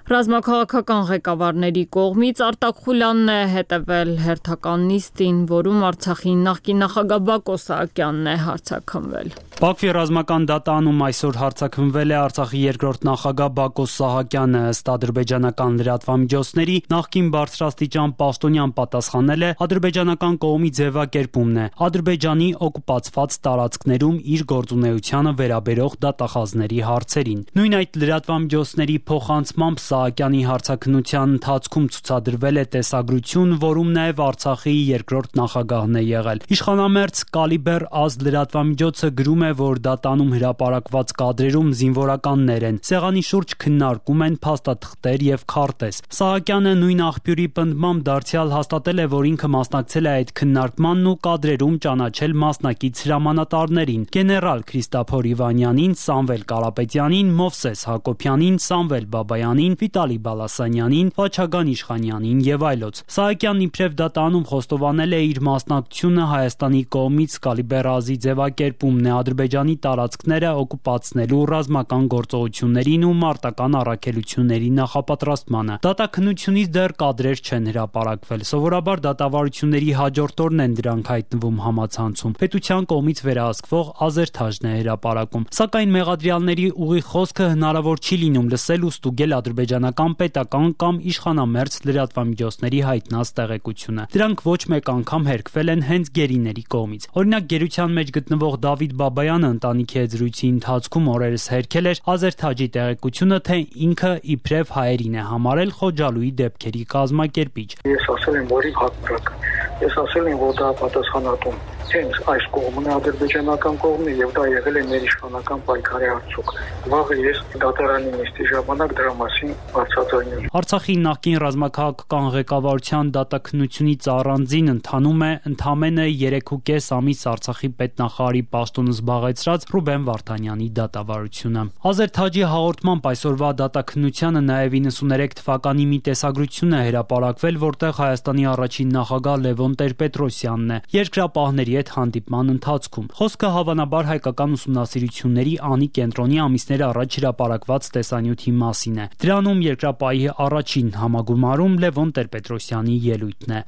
ռազմաքաղաքական ղեկավարների կողմից։ Արտակ Խուլյանն է հետևել հերթական նիստին, որում Արցախի նախկին նախագահ Բակո Սահակյանն է հարցաքննվել։ Բաքվի ռազմական դատարանում այսօր հարցաքննվել է Արցախի երկրորդ նախագահ Բակո Սահակյանը, ըստ ադրբեջանական լրատվամիջոցների նախկին բարձրաստիճան պաշտոնյան պատասխանել է ադրբեջանական կողմի ձևակերպումն է Ադրբեջանի օկուպացված տարածքներում իր գործունեությանը վերաբերող դատախազների հարցերին։ Նույն այդ լրատվամիջոցների փոխանցմամբ Սահակյանի հարցաքննության ընթացքում ցուցադրվել է տեսագրություն, որում նաև Արցախի երկրորդ նախագահն է եղել։ Իշխանամերձ Կալիբեր Ազ լրատվամիջոցը գրում է, որ դատանում հրապարակված կադրերում զինվորականներ են։ Սեղանի շուրջ քննարկում են փաստաթղթեր եւ քարտեզ։ Սահակյանը նույն աղբյուրի պնդմամբ դարձյալ հաստատել է, որ ինքը մասնակցել է այդ քննարկմանն ու կադրերում ճանաչել մասնակից հրամանատարներին՝ գեներալ Քրիստափոր Իվանյանին, Սամվել Կարապետյանին, Մովսես Հակոբյանին, Սամվել Բաբայանին, Վիտալի Բալասանյանին, Վաչագան Իշխանյանին եւ այլոց։ Սահակյանն իբրև դատանում խոստովանել է իր մասնակցությունը Հայաստանի կողմից Կալիբեր Ազի ձևակերպումն է Ադրբեջանի տարածքները օկուպացնելու ռազմական գործողություններին ու մարտական առաքելությունների նախապատրաստմանը։ Դատաքննությունից դեռ կադրեր չեն հրապարակվել։ Սովորաբար դատավարությունների հաջորդ օրն են դրանք հայտնվում համացանցում։ Պետության կողմից վերահսկվող ազերթաժն է հրապարակում։ Սակայն մեղադրյալների ուղիղ խոսքը հնարավոր չի լինում լսել ու ստուգել ադրբեջանական պետական կամ իշխանամերձ լրատվամիջոցների հայտնած տեղեկությունը։ Դրանք ոչ մեկ անգամ հերքվել են հենց գերիների կողմից։ Օրինակ, գերության մեջ գտնվող Դավիթ Բաբայանը ընտանիքի հետ զրույցի ընթացքում օրերս հերքել էր Ազերթաջի տեղեկությունը, թե ինքը իբրև հայերին է համարել Խոջալուի դեպքերի կազմակերպիչ։ Ես ասել եմ, որ հակառակ։ Ես ասել եմ, որ դա պատասխանատուն հենց այս կողմն է, ադրբեջանական կողմն է, եւ դա եղել է մեր իշխանական պայքարի արդյունք։ Վաղը ես դատարանի նիստի ժամանակ դրա մասին բարձրաձայնել։ Արցախի նախկին ռազմաքաղաքական ղեկավարության դատաքննությունից առանձին ընթանում է ընդամենը երեք ու կես ամիս Արցախի պետնախարարի պաշտոնը զբաղեցրած Ռուբեն Վարդանյանի դատավարությունը։ Ազեր Թաջի հաղորդմամբ այսօրվա դատաքննությանը նաև իննսուներեք թվականի մի տեսագրություն է հրապարակվել, որտեղ Հայաստանի առաջին նախագահ Լևոն Տեր-Պետրոսյանն է երկրապահների հետ հանդիպման ընթացքում։ Խոսքը հավանաբար հայկական ուսումնասիրությունների անի կենտրոնի ամիսներ առաջ հրապարակված տեսանյութի մասին է։ Դրանում երկրապահի առաջին համագումարում Լևոն Տեր-Պետրոսյանի ելույթն է։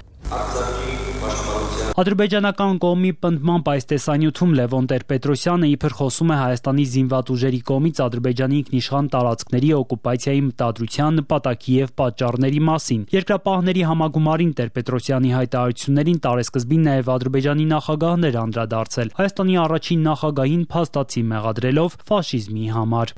Ադրբեջանական կողմի պնդմամբ այս տեսանյութում Լևոն Տեր-Պետրոսյանը իբր խոսում է Հայաստանի զինված ուժերի կողմից Ադրբեջանի ինքնիշխան տարածքների օկուպացիայի մտադրության նպատակի եւ պատճառների մասին։ Երկրապահների համագումարին Տեր-Պետրոսյանի հայտարարություններին տարեսկզբին նաեւ Ադրբեջանի նախագահն էր անդրադարձել, Հայաստանի առաջին նախագահին փաստացի մեղադրելով ֆաշիզմի համար։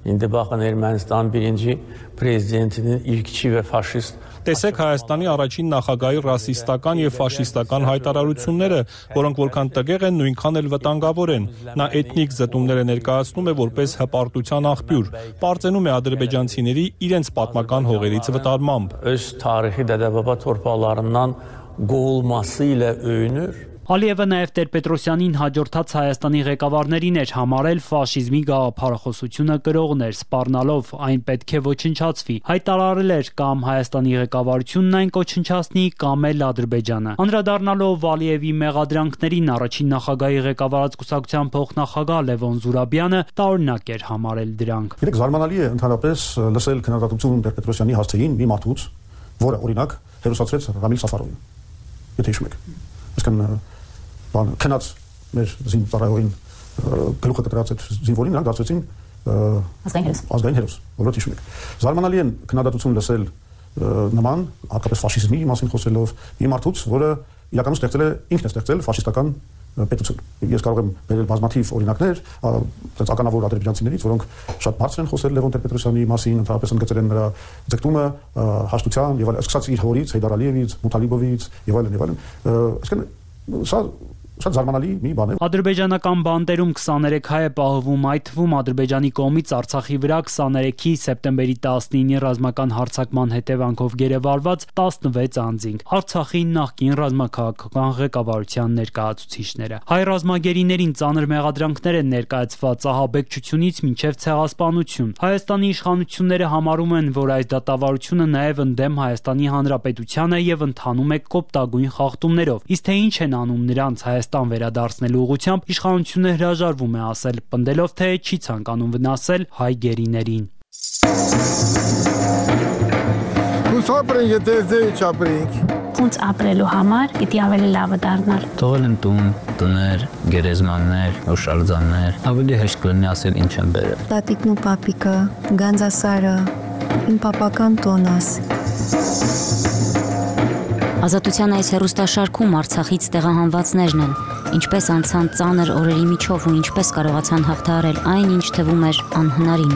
İndi baxın Ermənistan birinci prezidentinin ilkçi və faşist Տեսեք Հայաստանի առաջին նախագահի ռասիստական եւ ֆաշիստական հայտարարությունները, որոնք որքան տգեղ են, նույնքան էլ վտանգավոր են։ Նա էթնիկ զտումները ներկայացնում է որպես հպարտության աղբյուր, պարծենում է ադրբեջանցիների իրենց պատմական հողերից վտարմամբ։ Öz tarixi dədə-baba torpaqlarından qovulması ilə öyünür։ Ալիևը նաև Տեր-Պետրոսյանին հաջորդած Հայաստանի ղեկավարներին էր համարել ֆաշիզմի գաղափարախոսությունը կրողներ, սպառնալով այն պետք է ոչնչացվի, հայտարարել էր կամ Հայաստանի ղեկավարությունն այն կոչնչացնի, կամ էլ Ադրբեջանը։ Անդրադառնալով Ալիևի մեղադրանքներին առաջին նախագահի ղեկավարած կուսակցության փոխնախագահ Լևոն Զուրաբյանը տարօրինակ էր համարել դրանք։ Գիտեք, զարմանալի է ընդհանրապես լսել քննադատություն Տեր-Պետրոսյանի հասցեին մի մարդուց, որը օրինակ հերոսացրեց Ռամիլ Սաֆարովին։ Եթե հիշում եք։ Այսինքն բան քնած մեր զինծառայողին գլուխը կտրած այդ զինվորին նրանք դարձրեցին ազգային հերոս ազգային հերոս որովհետեւ հիշում եք զարմանալի են քննադատություն լսել նման հատկապես ֆաշիզմի մասին խոսելով մի մարդուց որը իրականում ստեղծել է ինքն է ստեղծել ֆաշիստական պետություն ես կարող եմ բերել բազմաթիվ օրինակներ այդպես ականավոր ադրբեջանցիներից որոնք շատ բարձր են խոսել Լևոն Տեր-Պետրոսյանի մասին ընդհանրապես ընդգծել են նրա ձգտումը հաշտության եւ այլն սկսած իր հորից Հեյդար Ալիևից Մութալիբովից եւ այլն եւ այլն այսինքն սա Շատ զարմանալի մի բան է։ Ադրբեջանական բանտերում քսաներեք հայ է պահվում, այդ թվում Ադրբեջանի կողմից Արցախի վրա քսաներեքի սեպտեմբերի տասնինի ռազմական հարձակման հետևանքով գերեվարված տասնվեց անձինք։ Արցախի նախկին ռազմաքաղաքական ղեկավարության ներկայացուցիչները։ Հայ ռազմագերիներին ծանր մեղադրանքներ են ներկայացված ահաբեկչությունից մինչև ցեղասպանություն։ Հայաստանի իշխանությունները համարում են, որ այս դատավարությունը նաև ընդդեմ Հայաստանի Հանրապետությանը եւ ընթանում է կոպտագույն խախտումներով։ Իսկ թե ինչ են անում նրանց Հայաստան վերադարձնելու ուղղությամբ իշխանությունը հրաժարվում է ասել, պնդելով թե չի ցանկանում վնասել հայ գերիներին։ Ուսապրենք, եթե ձեր չապրենք։ Ոնց ապրելու համար պիտի ավելի լավը դառնալ։ Թողել են տուն, տներ, գերեզմաններ, օշալձաններ, ավելի հեշտ կլինի ասել ինչ են բերել։ Տատիկն ու պապիկը, Գանձասարը, իմ պապական տոնս։ Ազատության այս հեռուստաշարքում Արցախից տեղահանվածներն են, ինչպես անցան ծանր օրերի միջով ու ինչպես կարողացան հաղթահարել այն, ինչ թվում էր անհնարին,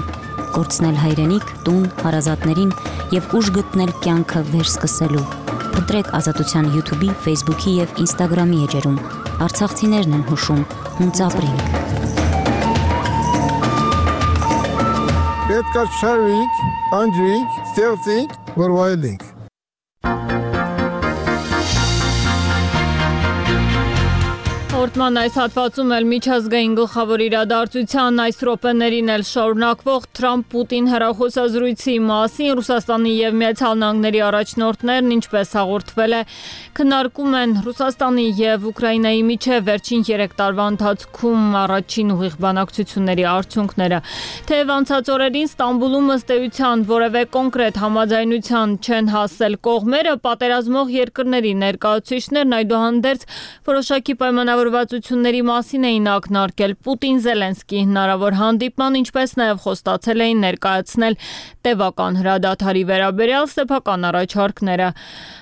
կորցնել հայրենիք, տուն, հարազատներին եւ ուժ գտնել կյանքը վերսկսելու։ Փնտրեք Ազատության YouTube-ի, Facebook-ի եւ Instagram-ի էջերում։ Արցախցիներն են հուշում, հունց ապրենք։ Պետք է շարվենք, անջրենք, ստեղծենք, որ վայելենք։ Հաղորդման այս հատվածում էլ միջազգային գլխավոր իրադարձության այս րոպեներին էլ շարունակվող Թրամփ-Պուտին հեռախոսազրույցի մասին Ռուսաստանի եւ Միացյալ Նահանգների առաջնորդներն ինչպես հաղորդվել է քննարկում են Ռուսաստանի եւ Ուկրաինայի միջև վերջին երեք տարվա ընթացքում առաջին ուղիղ բանակցությունների արդյունքները։ Թեև անցած օրերին Ստամբուլում ըստ էության որևէ կոնկրետ համաձայնության չեն հասել կողմերը, պատերազմող երկրների ներկայացուցիչներն այդուհանդերձ որոշակի պայմանավորվածությունների մասին էին ակնարկել Պուտին-Զելենսկի հնարավոր հանդիպման, ինչպես նաև խոստացել էին ներկայացնել տևական հրադադարի վերաբերյալ սեփական առաջարկները։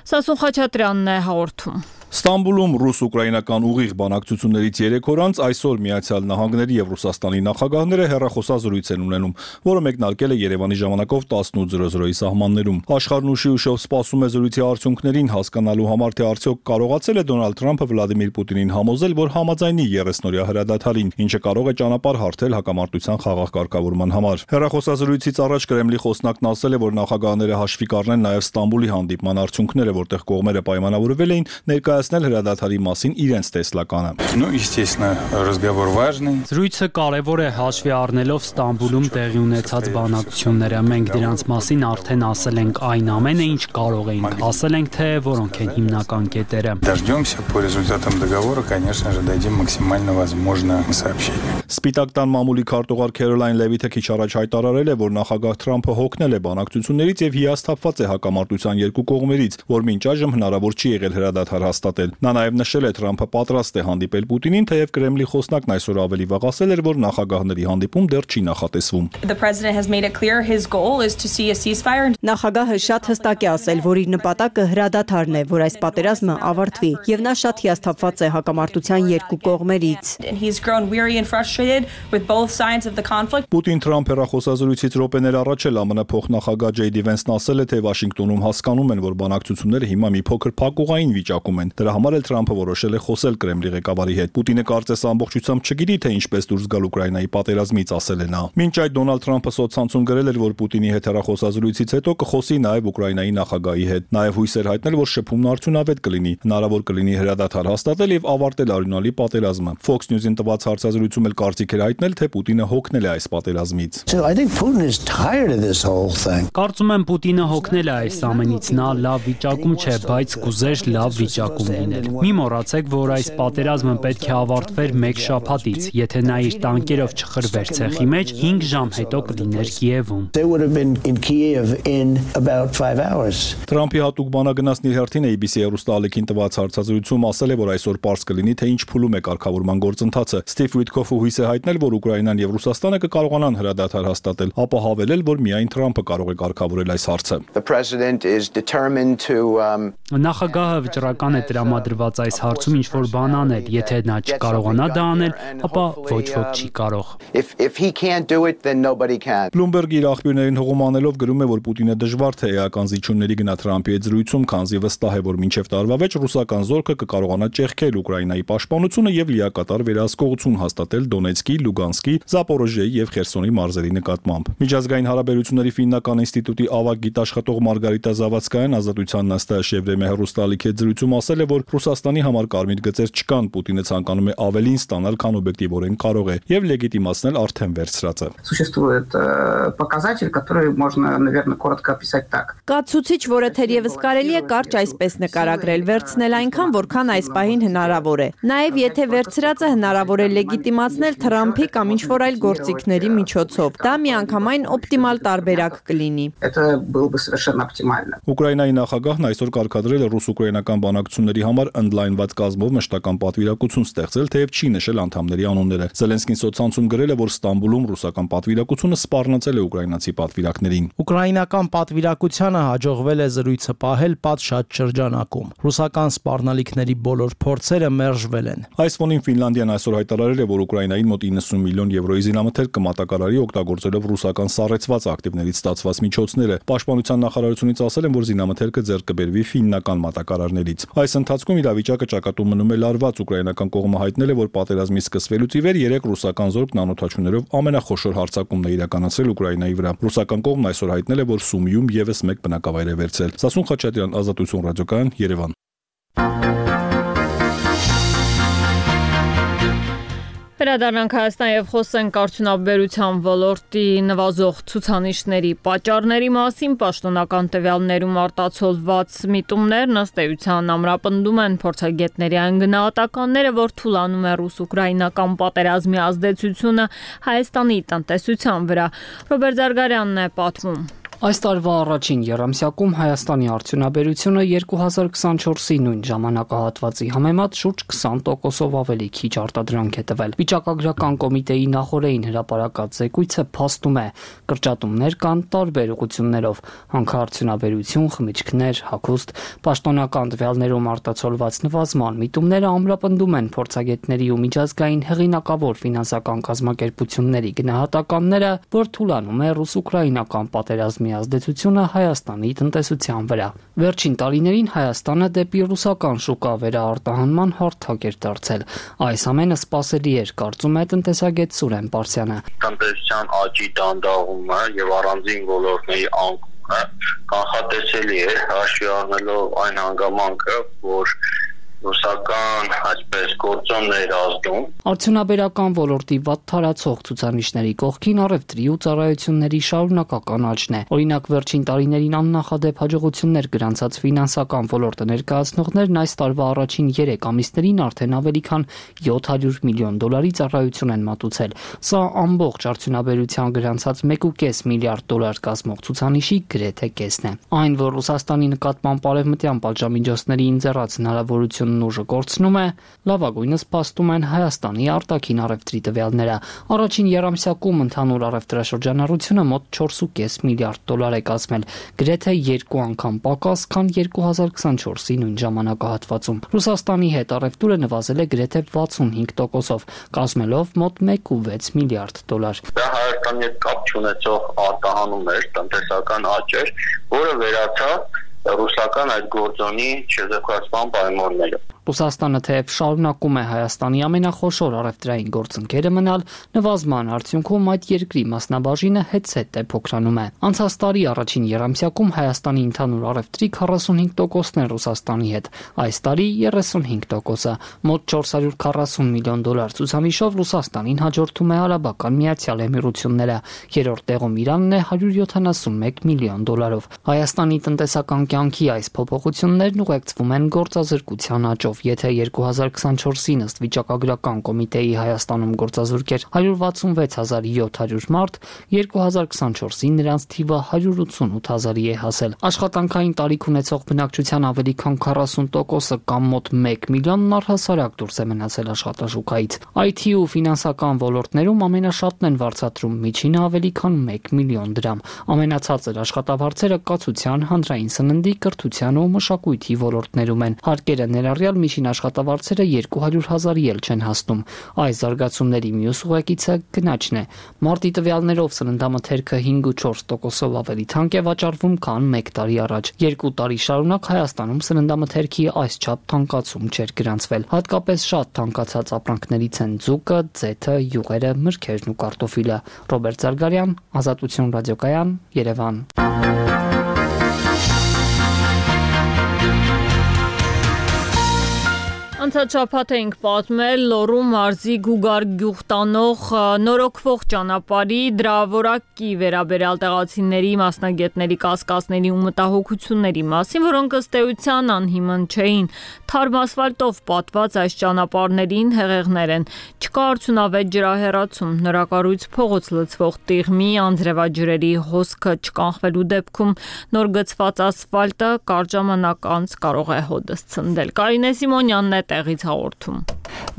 Սասուն Խաչատրյանն է հաղորդում։ Ստամբուլում ռուս-ուկրաինական ուղիղ բանակցություններից երեք օր անց այսօր Միացյալ Նահանգների եւ Ռուսաստանի նախագահները հեռախոսազրույց են ունենում, որը մեկնարկել է Երևանի ժամանակով տասնութ զրո զրոյի սահմաններում։ Աշխարհն ուշի ուշով սպասում է զրույցի արդյունքներին, հասկանալու համար թե արդյոք կարողացել է Դոնալդ Թրամփը Վլադիմիր Պուտինին համոզել, որ համաձայնի երեսնօրյա հրադադարին, ինչը կարող է ճանապարհ հարթել հակամարտության խաղաղ կարգավորման համար։ Հեռախոսազրույցից առաջ Կրեմլի խոսնակն ասել է, որ նախագահները հաշվի կառնեն նաեւ Ստամբուլի հանդիպման արդյունքները, որտեղ կողմերը պայմանավորվել էին ներկայացնել հրադադարի մասին իրենց տեսլականը։ Ну, естественно, разговор важный. Զրույցը կարևոր է հաշվի առնելով Ստամբուլում տեղի ունեցած բանակցությունները։ Մենք դրանց մասին արդեն ասել ենք այն ամենը, ինչ կարող էինք։ Ասել ենք, թե որոնք են հիմնական կետերը։ Дождемся по результатам договора, конечно же, дадим максимально возможное сообщение. Սպիտակ տան մամուլի քարտուղար Քերոլայն Լևիթը քիչ առաջ հայտարարել է, որ նախագահ Թրամփը հոգնել է բանակցություններից եւ հիասթափված է հակամարտության երկու կողմերից, որ մինչ այժմ հնարավոր չի եղել հրադադար հաստատել։ Նա նաեւ նշել է, Թրամփը պատրաստ է հանդիպել Պուտինին, թեև Կրեմլի խոսնակն այսօր ավելի վաղ ասել էր, որ նախագահների հանդիպում դեռ չի նախատեսվում։ Նախագահը շատ հստակ է ասել, որ իր նպատակը հրադադարն է, որ այս պատերազմը ավարտվի, եւ նա շատ հիասթափված է հակամարտության երկու կողմերից։ Պուտին-Թրամփ հեռախոսազրույցից րոպեներ առաջ էլ ԱՄՆ փոխնախագահ Ջեյ Դի Վենսն ասել է, թե Վաշինգտոնում հասկանում են, որ բանակցությունները հիմա մի փոքր փակուղային վիճակում են։ Դրա համար էլ Թրամփը որոշել է խոսել Կրեմլի ղեկավարի հետ։ Պուտինը կարծես ամբողջությամբ չգիտի, թե ինչպես դուրս գալ Ուկրաինայի պատերազմից, ասել է նա։ Մինչ այդ Դոնալդ Թրամփը սոցցանցում գրել էր, որ Պուտինի հետ հեռախոսազրույցից հետո կխոսի նաև Ուկրաինայի նախագահի հետ։ Նաև հույս էր հայտնել, որ շփումն արդյունավետ կլինի, հնարավոր կլինի հրադադար հաստատել եւ ավարտել արյունալի պատերազմը։ Fox News-ին տված հարցազրույցում էլ կարծիք էր հայտնել, թե Պուտինը հոգնել է այս պատերազմից։ Կարծում եմ Պուտինը հոգնել է այս ամենից, նա լավ վիճակում չէ, բայց կուզեր լավ վիճակում լինել։ Մի մոռացեք, որ այս պատերազմը պետք է ավարտվեր մեկ շաբաթից, եթե նա իր տանկերով չխրվեր ցեխի մեջ, հինգ ժամ հետո կլիներ Կիևում։ Թրամփի հատուկ բանագնացն իր հերթին A B C հեռուստաալիքին տված հարցազրույցում ասել է, որ այսօր պարզ կլինի, թե ինչ փուլում է կարգավորման գործընթացը։ Ստիվ Ուիթքոֆը հույս է հայտնել, որ Ուկրաինան եւ Ռուսաստանը կկարողանան հրադադար հաստատել, ապա հավելել, որ միայն Թրամփը կարող է կարգավորել այս հարցը։ Նախագահը վճռական է տրամադրված այս հարցում ինչ որ բան անել, եթե նա չկարողանա դա անել, ապա ոչ ոք չի կարող։ Bloomberg իր աղբյուրներին հողում անելով գրում է, որ Պուտինը դժվար թե էական զիջումների գնա Թրամփի հետ զրույցում, քանզի վստահ է, որ մինչև տարվա վեճ ռուսական զորքը կկարողանա ճեղքել Ուկրաինայի պաշտպանությունը եւ լիակատար վերահսկողություն հաստատել Դոնեցկի, Լուգանսկի, Զապորոժիեի եւ Խերսոնի մարզերի նկատմամբ։ Միջազգային հարաբերությունների ֆիննական ինստիտուտի ավագ գիտաշխատող Մարգարիտա Զավադսկայան Ազատության նստաշեվրեմե հեռուստաալիքի հետ զրույցում ասել է, որ Ռուսաստանի համար կարմիր գծեր չկան, Պուտինը ցանկանում է ավելին ստանալ, քան օբյեկտիվորեն կարող է եւ լեգիտիմացնել արդեն վերցրածը։ Կացուցիչ, որը թերևս կարելի է կարճ այսպես նկարագրել, վերցնել այնքան, որքան այս պահին հնարավոր է։ Նաեւ եթե վերցրածը հնարավոր է լեգիտիմացնել Թրամփի կամ ինչ-որ այլ գործիքների միջոցով, դա միանգամայն օպտիմալ տարբերակ կլինի։ Ուկրաինայի նախագահն այսօր կարգադրել է ռուս-ուկրաինական բանակցությունների համար ընդլայնված կազմով մշտական պատվիրակություն ստեղծել, թեև չի նշել անդամների անունները։ Զելենսկին սոցցանցում գրել է, որ Ստամբուլում ռուսական պատվիրակությունը սպառնացել է ուկրաինացի պատվիրակներին։ Ուկրաինական պատվիրակությանը հաջողվել է զրույցը պահել պատշաճ շրջանակում։ Ռուսական սպառնալիքների բոլոր փորձերը մերժվել են։ Այս ֆոնին Ֆինլանդիան այսօր հայտարարել է, որ Ուկրաինային մոտ իննսուն միլիոն եվրոյի զինամթերք կմատակարարի օգտագործելով ռուսական սառեցված ակտիվներից ստացված միջոցները։ Պաշտպանության նախարարությունից ասել են, որ զինամթերքը ձեռք կբերվի ֆիննական մատակարարներից։ Այս ընթացքում իրավիճակը ճակատում մնում է լարված։ Ուկրաինական կողմը հայտնել է, որ պատերազմի սկսվելուց ի վեր երեք ռուսական զորք նանոթաչուներով ամենախոշոր հարձակումն է իրականացրել Ուկրաինայի վրա։ Ռուսական կողմն այսօր հայտնել է, որ Սումիում եւս մեկ բնակավայր է վերցրել։ Սասուն Խաչատրյան, Ազատություն ռադիոկայան, Երևան։ Վերադառնանք Հայաստան եւ խոսենք արդյունաբերության ոլորտի նվազող ցուցանիշների պատճառների մասին։ Պաշտոնական տվյալներում արտացոլված միտումներն ըստ էության ամրապնդում են փորձագետների այն գնահատականները, որ թուլանում է ռուս-ուկրաինական պատերազմի ազդեցությունը Հայաստանի տնտեսության վրա։ Ռոբերտ Զարգարյանն է պատմում։ Այս տարվա առաջին եռամսյակում Հայաստանի արդյունաբերությունը երկու հազար քսանչորսի նույն ժամանակահատվածի համեմատ շուրջ քսան տոկոսով ավելի քիչ արտադրանք է տվել։ Վիճակագրական կոմիտեի նախորդին հրապարակած զեկույցը փաստում է, կրճատումներ կան տարբեր ուղղություններով՝ հանքարդյունաբերություն, խմիչքներ, հագուստ, պաշտոնական տվյալներում արտացոլված նվազման միտումները ամրապնդում են փորձագետների ու միջազգային հեղինակավոր ֆինանսական կազմակերպությունների գնահատականները, որ թուլանում է ռուս-ուկրաինական պատերազմի ազդեցությունը Հայաստանի տնտեսության վրա։ Վերջին տարիներին Հայաստանը դեպի ռուսական շուկա վերաարտահանման հարթակ էր դարձել։ Այս ամենը սպասելի էր, կարծում է տնտեսագետ Սուրեն Պարսյանը։ Տնտեսության աճի դանդաղումը եւ առանձին ոլորտների անկումը կանխատեսելի է, հաշվի առնելով այն հանգամանքը, որ ռուսական այսպես գործոններ ազդում։ Արդյունաբերական ոլորտի վատ թարացող ցուցանիշների կողքին առևտրի ու ծառայությունների շարունակական աճն է։ Օրինակ, վերջին տարիներին աննախադեպ հաջողություններ գրանցած ֆինանսական ոլորտը ներկայացնողներն այս տարվա առաջին երեք ամիսներին արդեն ավելի քան յոթ հարյուր միլիոն դոլարի ծառայություն են մատուցել։ Սա ամբողջ արդյունաբերության գրանցած մեկ ու կես միլիարդ դոլար կազմող ցուցանիշի գրեթե կեսն է։ Այն, որ Ռուսաստանի նկատմամբ արևմտյան պատժամիջոցների ինձեռած հնարավորություն ուժը կորցնում է, լավագույնս փաստում են Հայաստանի արտաքին առևտրի տվյալները։ Առաջին եռամսյակում ընդհանուր առևտրաշրջանառությունը մոտ չորս ու կես միլիարդ դոլար է կազմել, գրեթե երկու անգամ պակաս, քան երկու հազար քսանչորսի նույն ժամանակահատվածում։ Ռուսաստանի հետ առևտուրը նվազել է գրեթե վաթսունհինգ տոկոսով, կազմելով մոտ մեկ ու վեց միլիարդ դոլար։ Դա Հայաստանի հետ կապ չունեցող արտահանում էր, տնտեսական աճ էր, որը վերացավ ռուսական այդ գործոնի չեզոքացման պայմանները։ Ռուսաստանը թեև շարունակում է Հայաստանի ամենախոշոր առևտրային գործընկերը մնալ, նվազման արդյունքում այդ երկրի մասնաբաժինը հետզհետե փոքրանում է։ Անցած տարի առաջին եռամսյակում Հայաստանի ընդհանուր առևտրի քառասունհինգ տոկոսն է Ռուսաստանի հետ, այս տարի երեսունհինգ տոկոսը, մոտ չորս հարյուր քառասուն միլիոն դոլար ցուցանիշով Ռուսաստանին հաջորդում է Արաբական Միացյալ Էմիրությունները, երրորդ տեղում Իրանն է հարյուր յոթանասունմեկ միլիոն դոլարով։ Հայաստանի տնտեսական կյանքի այս փոփոխություններն ուղեկցվում են գործազրկության աճով։ Եթե երկու հազար քսանչորսին ըստ վիճակագրական կոմիտեի Հայաստանում գործազուրկ էր հարյուր վաթսունվեց հազար յոթ հարյուր մարդ, երկու հազար քսանչորսին նրանց թիվը հարյուր ութսունութ հազարի է հասել։ Աշխատանքային տարիք ունեցող բնակչության ավելի քան քառասուն տոկոսը կամ մոտ մեկ միլիոնն առհասարակ դուրս է մնացել աշխատաշուկայից։ Այ թի ու ֆինանսական ոլորտներում ամենաշատն են վարձատրում միջինը ավելի քան մեկ միլիոն դրամ։ Ամենացածր աշխատավարձերը կացության, հանրային սննդի, կրթության ու մշակույթի ոլորտներում են։ Հարկերը ներառյալ միջին աշխատավարձերը երկու հարյուր հազարի էլ չեն հասնում։ Այս զարգացումների մյուս ուղեկիցը գնաճն է։ Մարտի տվյալներով սննդամթերքը հինգ ու չորս տոկոսով ավելի թանկ է վաճառվում, քան մեկ տարի առաջ։ Երկու տարի շարունակ Հայաստանում սննդամթերքի այսչափ թանկացում չէր գրանցվել։ Հատկապես շատ թանկացած ապրանքներից են ձուկը, ձեթը, յուղերը, մրգերն ու կարտոֆիլը։ Ռոբերտ Զարգարյան, Ազատություն ռադիոկայան, Երևան։ Անցած շաբաթ էինք պատմել Լոռու մարզի Գուգար գյուղ տանող նորոգվող ճանապարհի դրա որակի վերաբերյալ տեղացիների, մասնագետների կասկածների ու մտահոգությունների մասին, որոնք ըստ էության անհիմն չէին։ Թարմ ասֆալտով պատված այս ճանապարհներին հեղեղներ են։ Չկա արդյունավետ ջրահեռացում, նորակառույց փողոց լցվող տիղմի, անձրևաջրերի հոսքը չկանխվելու դեպքում նոր գծված ասֆալտը կարճ ժամանակ անց կարող է հոդս ցնդել։ Կարինե Սիմոնյանն է տեղից հաղորդում։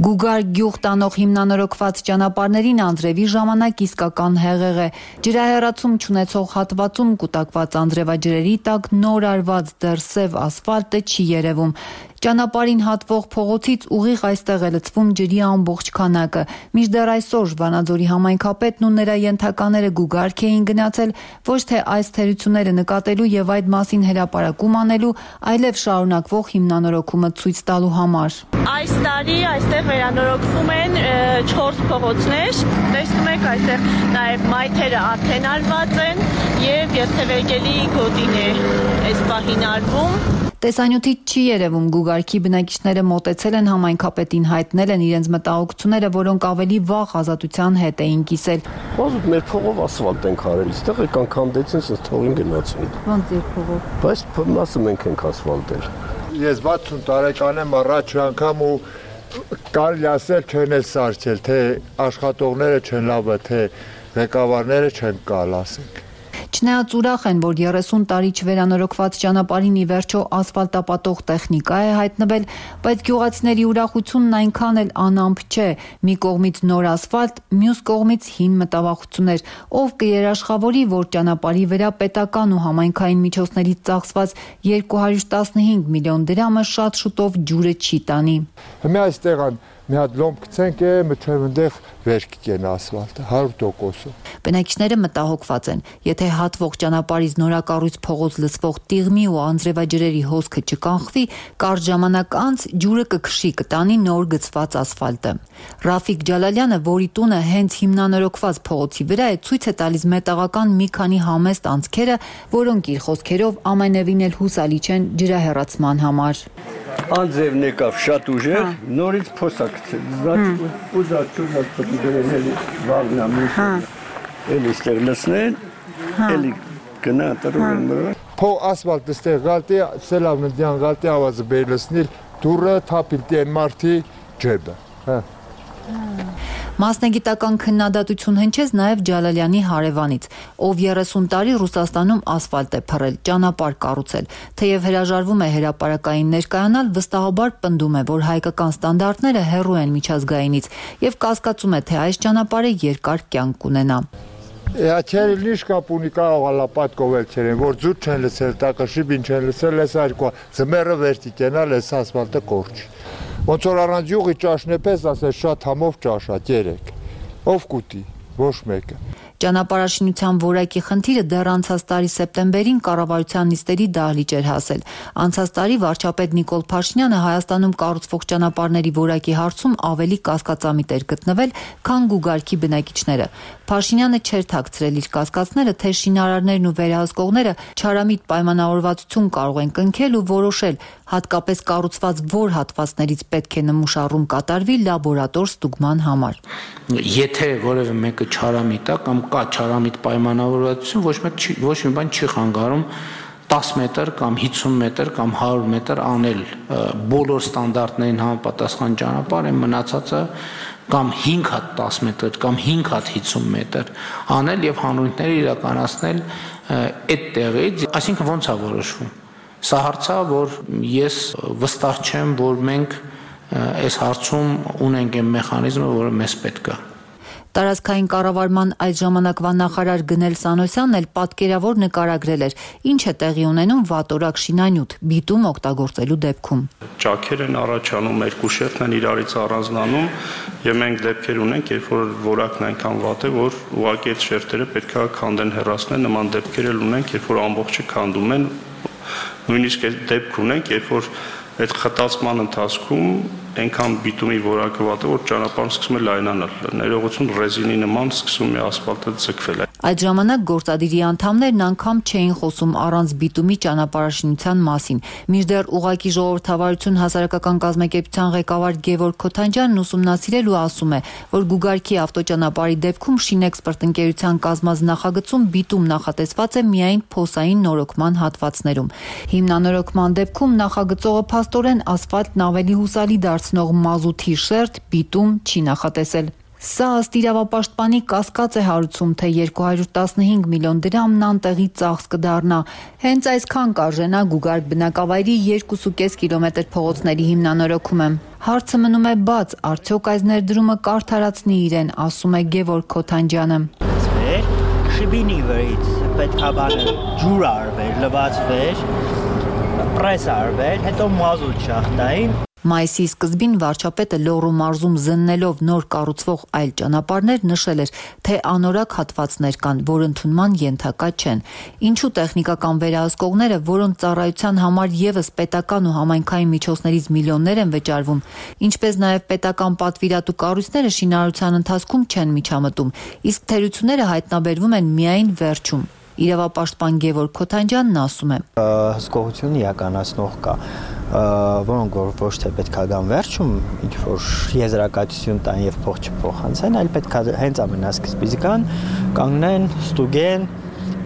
Գուգար գյուղ տանող հիմնանորոգված ճանապարհներին անձրևի ժամանակ իսկական հեղեղ է։ Ջրահեռացում չունեցող հատվածում կուտակված անձրևաջրերի տակ նոր արված դեռ սև ասֆալտը չի երևում։ Ճանապարհին հատվող փողոցից ուղիղ այստեղ է լցվում ջրի ամբողջ քանակը։ Մինչդեռ այսօր Վանաձորի համայնքապետն ու նրա ենթակաները Գուգարք էին գնացել ոչ թե այս թերությունները նկատելու եւ այդ մասին հրապարակում անելու, այլև շարունակվող հիմնանորոգումը ցույց տալու համար։ Այս տարի այստեղ վերանորոգվում են չորս փողոցներ։ Տեսնում եք այստեղ նաեւ մայթերը արդեն արված են եւ երթևեկելի գոտին է այս պահին արվում։ Տեսանյութից չի երևում Գուգարքի բնակիչները մոտեցել են համայնքապետին, հայտնել են իրենց մտահոգությունները, որոնք ավելի վաղ ազատության հետ էին կիսել։ Ոնց մեր փողով ասֆալտ ենք արել, այստեղ եկան քանդեցին, ասես թողին գնացին։ Ոնց ձեր փողով։ Բայց մասը մենք ենք ասֆալտել։ Ես վաթսուն տարեկան եմ, առաջ անգամ ու կարելի ասել չեն էլ սարքել, թե աշխատողները չեն լավը, թե ղեկավարները չեն կալ, ասենք։ Չնայած ուրախ են, որ երեսուն տարի չվերանորոգված ճանապարհին ի վերջո ասֆալտապատող տեխնիկա է հայտնվել, բայց գյուղացիների ուրախությունն այնքան էլ անամպ չէ։ Մի կողմից նոր ասֆալտ, մյուս կողմից հին մտավախություններ, ով կերաշխավորի, որ ճանապարհի վրա պետական ու համայնքային միջոցներից ծախսված երկու հարյուր տասնհինգ միլիոն դրամը շատ շուտով ջուրը չի տանի։ Հիմա այստեղ մի հատ լոմբ գցենք է, մթև այնտեղ վեր կգեն ասֆալտը հարյուր տոկոս։ Բնակիչները մտահոգված են, եթե հատվող ճանապարհից նորակառույց փողոց լցվող տիղմի ու անձրևաջրերի հոսքը չկանխվի, կարճ ժամանակ անց ջուրը կքշի, կտանի նոր գծված ասֆալտը։ Ռաֆիկ Ջալալյանը, որի տունը հենց հիմնանորոգված փողոցի վրա է, ցույց է տալիս մետաղական մի քանի համեստ անցքերը, որոնք իր խոսքերով ամենևին էլ հուսալի չեն ջրահեռացման համար։ Անձևն եկավ շատ ուժեղ, նորից փոսա գցել, значит, ուզած չուզած պետք է դրել վաղնա միշտ, էլի ստեղ լցնեն, էլի գնա տրուրեն մրը։ Փո ասֆալտը ստեղ գալտի, սելավնդյան գալտի ավազը բերլսնիլ, դուրը թափիլտի են մարտի ջեբը, հա։ Մասնագիտական քննադատություն հնչեց նաև Ջալալյանի հարևանից, ով երեսուն տարի Ռուսաստանում ասֆալտ է փռել, ճանապարհ կառուցել, թեև հրաժարվում է հրապարակային ներկայանալ, վստահաբար պնդում է, որ հայկական ստանդարտները հեռու են միջազգայինից եւ կասկածում է, թե այս ճանապարհը երկար կյանք կունենա։ Ячերը լիշ կապունի կարող լապատկովել չեն, որ ձուտ չեն լցել, տակաշիբին չեն լցել, էս այրկա, ձմեռը վերտի կենալ, էս ասֆալտը կորչ։ Ոնց որ առանց յուղի ճաշն է պես, ասես շատ համով ճաշա, երեք, ով կուտի, ոչ մեկը։ Ճանապարհաշինության որակի խնդիրը դեռ անցած տարի սեպտեմբերին կառավարության նիստերի դահլիճ էր հասել։ Անցած տարի վարչապետ Նիկոլ Փաշինյանը Հայաստանում կառուցվող ճանապարհների որակի հարցում ավելի կասկածամիտ էր գտնվել, քան Գուգարքի բնակիչները։ Փաշինյանը չէր թաքցրել իր կասկածները, թե շինարարներն ու վերահսկողները չարամիտ պայմանավորվածություն կարող են կնքել ու որոշել, հատկապես կառուցված որ հատվածներից պետք է նմուշառում կատարվի լաբորատոր ստուգման համար։ Եթե որևէ մեկը չարամիտ է կամ կա չարամիտ պայմանավորվածություն, ոչ մեկ չի, ոչ մի բան չի խանգարում տասը մետր կամ հիսուն մետր կամ հարյուր մետր անել բոլոր ստանդարտներին համապատասխան ճանապարհ, այն մնացածը կամ հինգ հատ տասը մետր կամ հինգ հատ հիսուն մետր անել եւ հանրույթները իրականացնել այդ տեղից, այսինքն ոնց է որոշվում։ Սա հարց է, որ ես վստահ չեմ, որ մենք այս հարցում ունենք այն մեխանիզմը, որը մեզ պետք է։ Տարածքային կառավարման այդ ժամանակվա նախարար Գնել Սանոսյանն էլ պատկերավոր նկարագրել էր, ինչ է տեղի ունենում վատորակ շինանյութ բիտում օգտագործելու դեպքում։ Ճաքեր են առաջանում, երկու շերտն են իրարից առանձնանում եւ մենք դեպքեր ունենք, երբ որ որակն այնքան վատ է, որ ուղղակի այդ շերտերը պետք է քանդեն հեռացնեն, նման դեպքեր էլ ունենք, երբ որ ամբողջը քանդում են, նույնիսկ այդ դեպք ունենք, երբ որ այդ խտացման ընթացքում այնքան բիտումի որակը վատ է, որ ճանապարհն սկսում է լայնանալ, ներողություն ռեզինի նման սկսում է ասֆալտը ձգվել։ Այդ ժամանակ գործադիրի անդամներն անգամ չէին խոսում առանց բիտումի ճանապարհաշինության մասին։ Մինչդեռ ուղղակի ժողովրդավարություն հասարակական կազմակերպության ղեկավար Գևորգ Քոթանջյանն ուսումնասիրել ու ասում է, որ Գուգարքի ավտոճանապարհի դեպքում Շինեքսպերտ ընկերության կազմած նախագծում բիտում նախատեսված է միայն փոսային նորոգման հատվածներում։ Հիմնանորոգման դեպքում նախագծողը փաստորեն ասֆալտն ավելի հուսալի դարձնող մազութի շերտ բիտում չի նախատեսել։ Սա ըստ իրավապաշտպանի կասկած է հարուցում, թե երկու հարյուր տասնհինգ միլիոն դրամն անտեղի ծախս կդառնա։ Հենց այսքան կարժենա Գուգարք բնակավայրի երկուսուկես կիլոմետր փողոցների հիմնանորոգումը։ Հարցը մնում է բաց, արդյոք այս ներդրումը կարդարացնի իրեն, ասում է Գևորգ Քոթանջյանը։ Շիբինի վրից պետք է բանը ջուր արվել, լվացվել, պրես արվել, հետո մազութ շախտային։ Մայիսի սկզբին վարչապետը Լոռու մարզում զննելով նոր կառուցվող այլ ճանապարհներ նշել էր, թե անորակ հատվածներ կան, որ ընդունման ենթակա չեն։ Ինչու տեխնիկական վերահսկողները, որոնց ծառայության համար եւս պետական ու համայնքային միջոցներից միլիոններ են վճարվում, ինչպես նաև պետական պատվիրատու կառույցները շինարարության ընթացքում չեն միջամտում, իսկ թերությունները հայտնաբերվում են միայն վերջում։ Իրավապաշտպան Գևորգ Քոթանջյանն ասում է. Հսկողություն իրականացնող կա, որոնք որ ոչ թե պետք է գան վերջում, ինչ որ եզրակացություն տան եւ փող չփոխանցեն, այլ պետք է հենց ամենասկզբից գան, կանգնեն, ստուգեն,